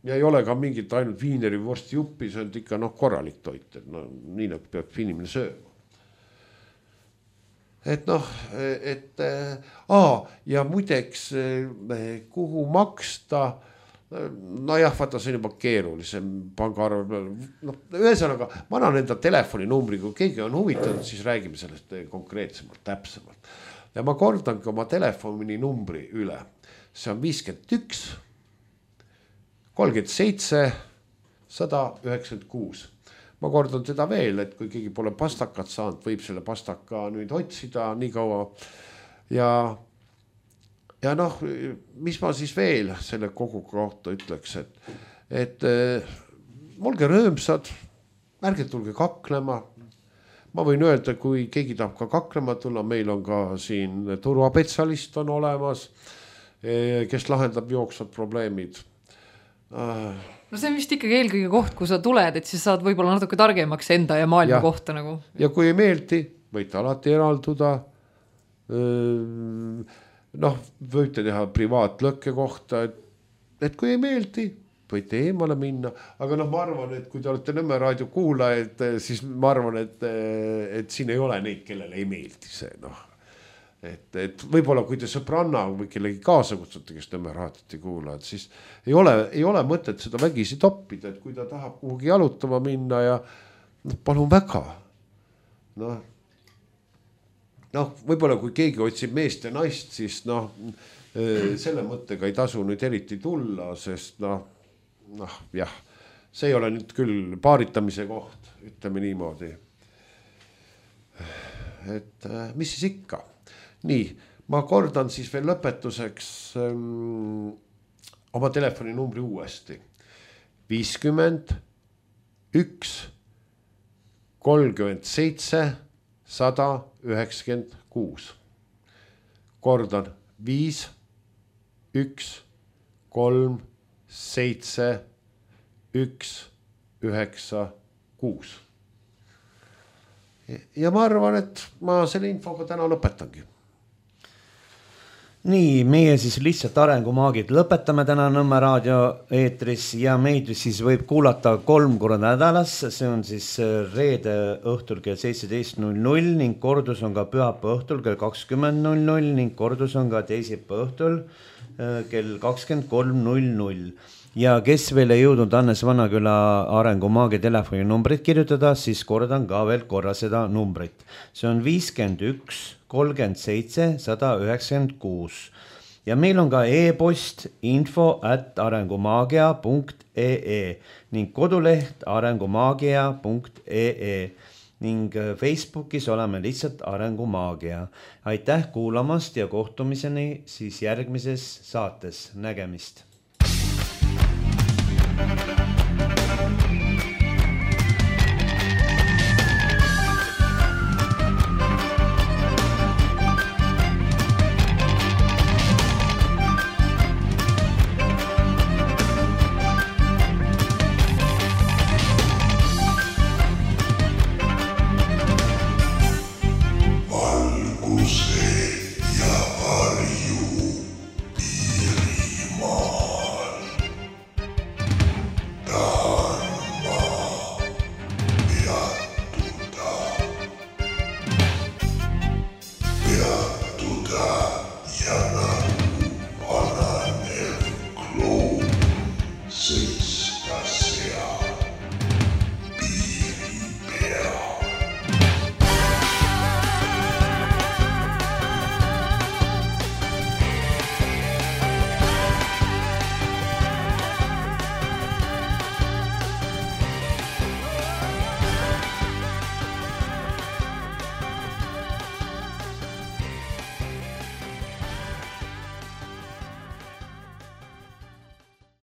ja ei ole ka mingit ainult viineri vorsti juppi, see on ikka korralik toit, et nii nagu peab inimene sööma. Et ja muideks, kuhu maksta, vaata see on juba keerulisem pangaarve peal. Ühesõnaga, ma annan enda telefoninumbri, kui keegi on huvitatud, siis räägime sellest konkreetsemalt, täpsemalt. Ja ma kordangi oma telefoninumbri üle. See on 51 37 196. Ma kordan seda veel, et kui keegi pole pastakat saanud, võib selle pastaka nüüd otsida nii kaua. Ja mis ma siis veel selle kogu kohta ütleks, et olge rõõmsad, ärge tulge kaklema. Ma võin öelda, kui keegi tahab ka kaklema tulla, meil on ka siin turvapetsalist on olemas, kes lahendab jooksvad probleemid. No see on vist ikkagi eelkõige koht, kui sa tuled, et siis saad võib-olla natuke targemaks enda ja maailma kohta nagu. Ja kui ei meeldi, võite alati eralduda. Võite teha privaatlõkke kohta, et kui ei meeldi, võite eemale minna. Aga ma arvan, et kui te olete Nõmme raadio kuulajad, siis ma arvan, et siin ei ole neid, kellele ei meeldi see. Et võib-olla kui te sõbranna või kellegi kaasa kutsute, kes Nõmme raadiot ei kuula, et siis ei ole mõtet seda vägisi toppida, et kui ta tahab kuhugi jalutama minna ja palun väga. Võib-olla kui keegi otsib meest ja naist, siis selle mõttega ei tasu nüüd eriti tulla, sest jah, see ei ole nüüd küll paaritamise koht, ütleme niimoodi. Et mis siis ikka? Nii, ma kordan siis veel lõpetuseks oma telefoninumbri uuesti. 51 37 196. Kordan 5 1 3 7 1 9 6. Ja ma arvan, et ma selle infoga täna lõpetangi. Nii, meie siis lihtsalt arengumaagid lõpetame täna Nõmme raadio eetris ja meid siis võib kuulata 3 korda nädalas. See on siis reede õhtul kell 17.00 ning kordus on ka pühapäeva õhtul kell 20.00 ning kordus on ka teisipäeva õhtul kell 23.00. Ja kes veel ei jõudnud Hannes Vannaküla arengumaagi telefoninumbrit kirjutada, siis kordan ka veel korra seda numbrit. See on 51 37 196. Ja meil on ka e-post info@arengumagia.ee ning koduleht arengumagia.ee ning Facebookis oleme lihtsalt Arengumaagia. Aitäh kuulamast ja kohtumiseni siis järgmises saates. Nägemist!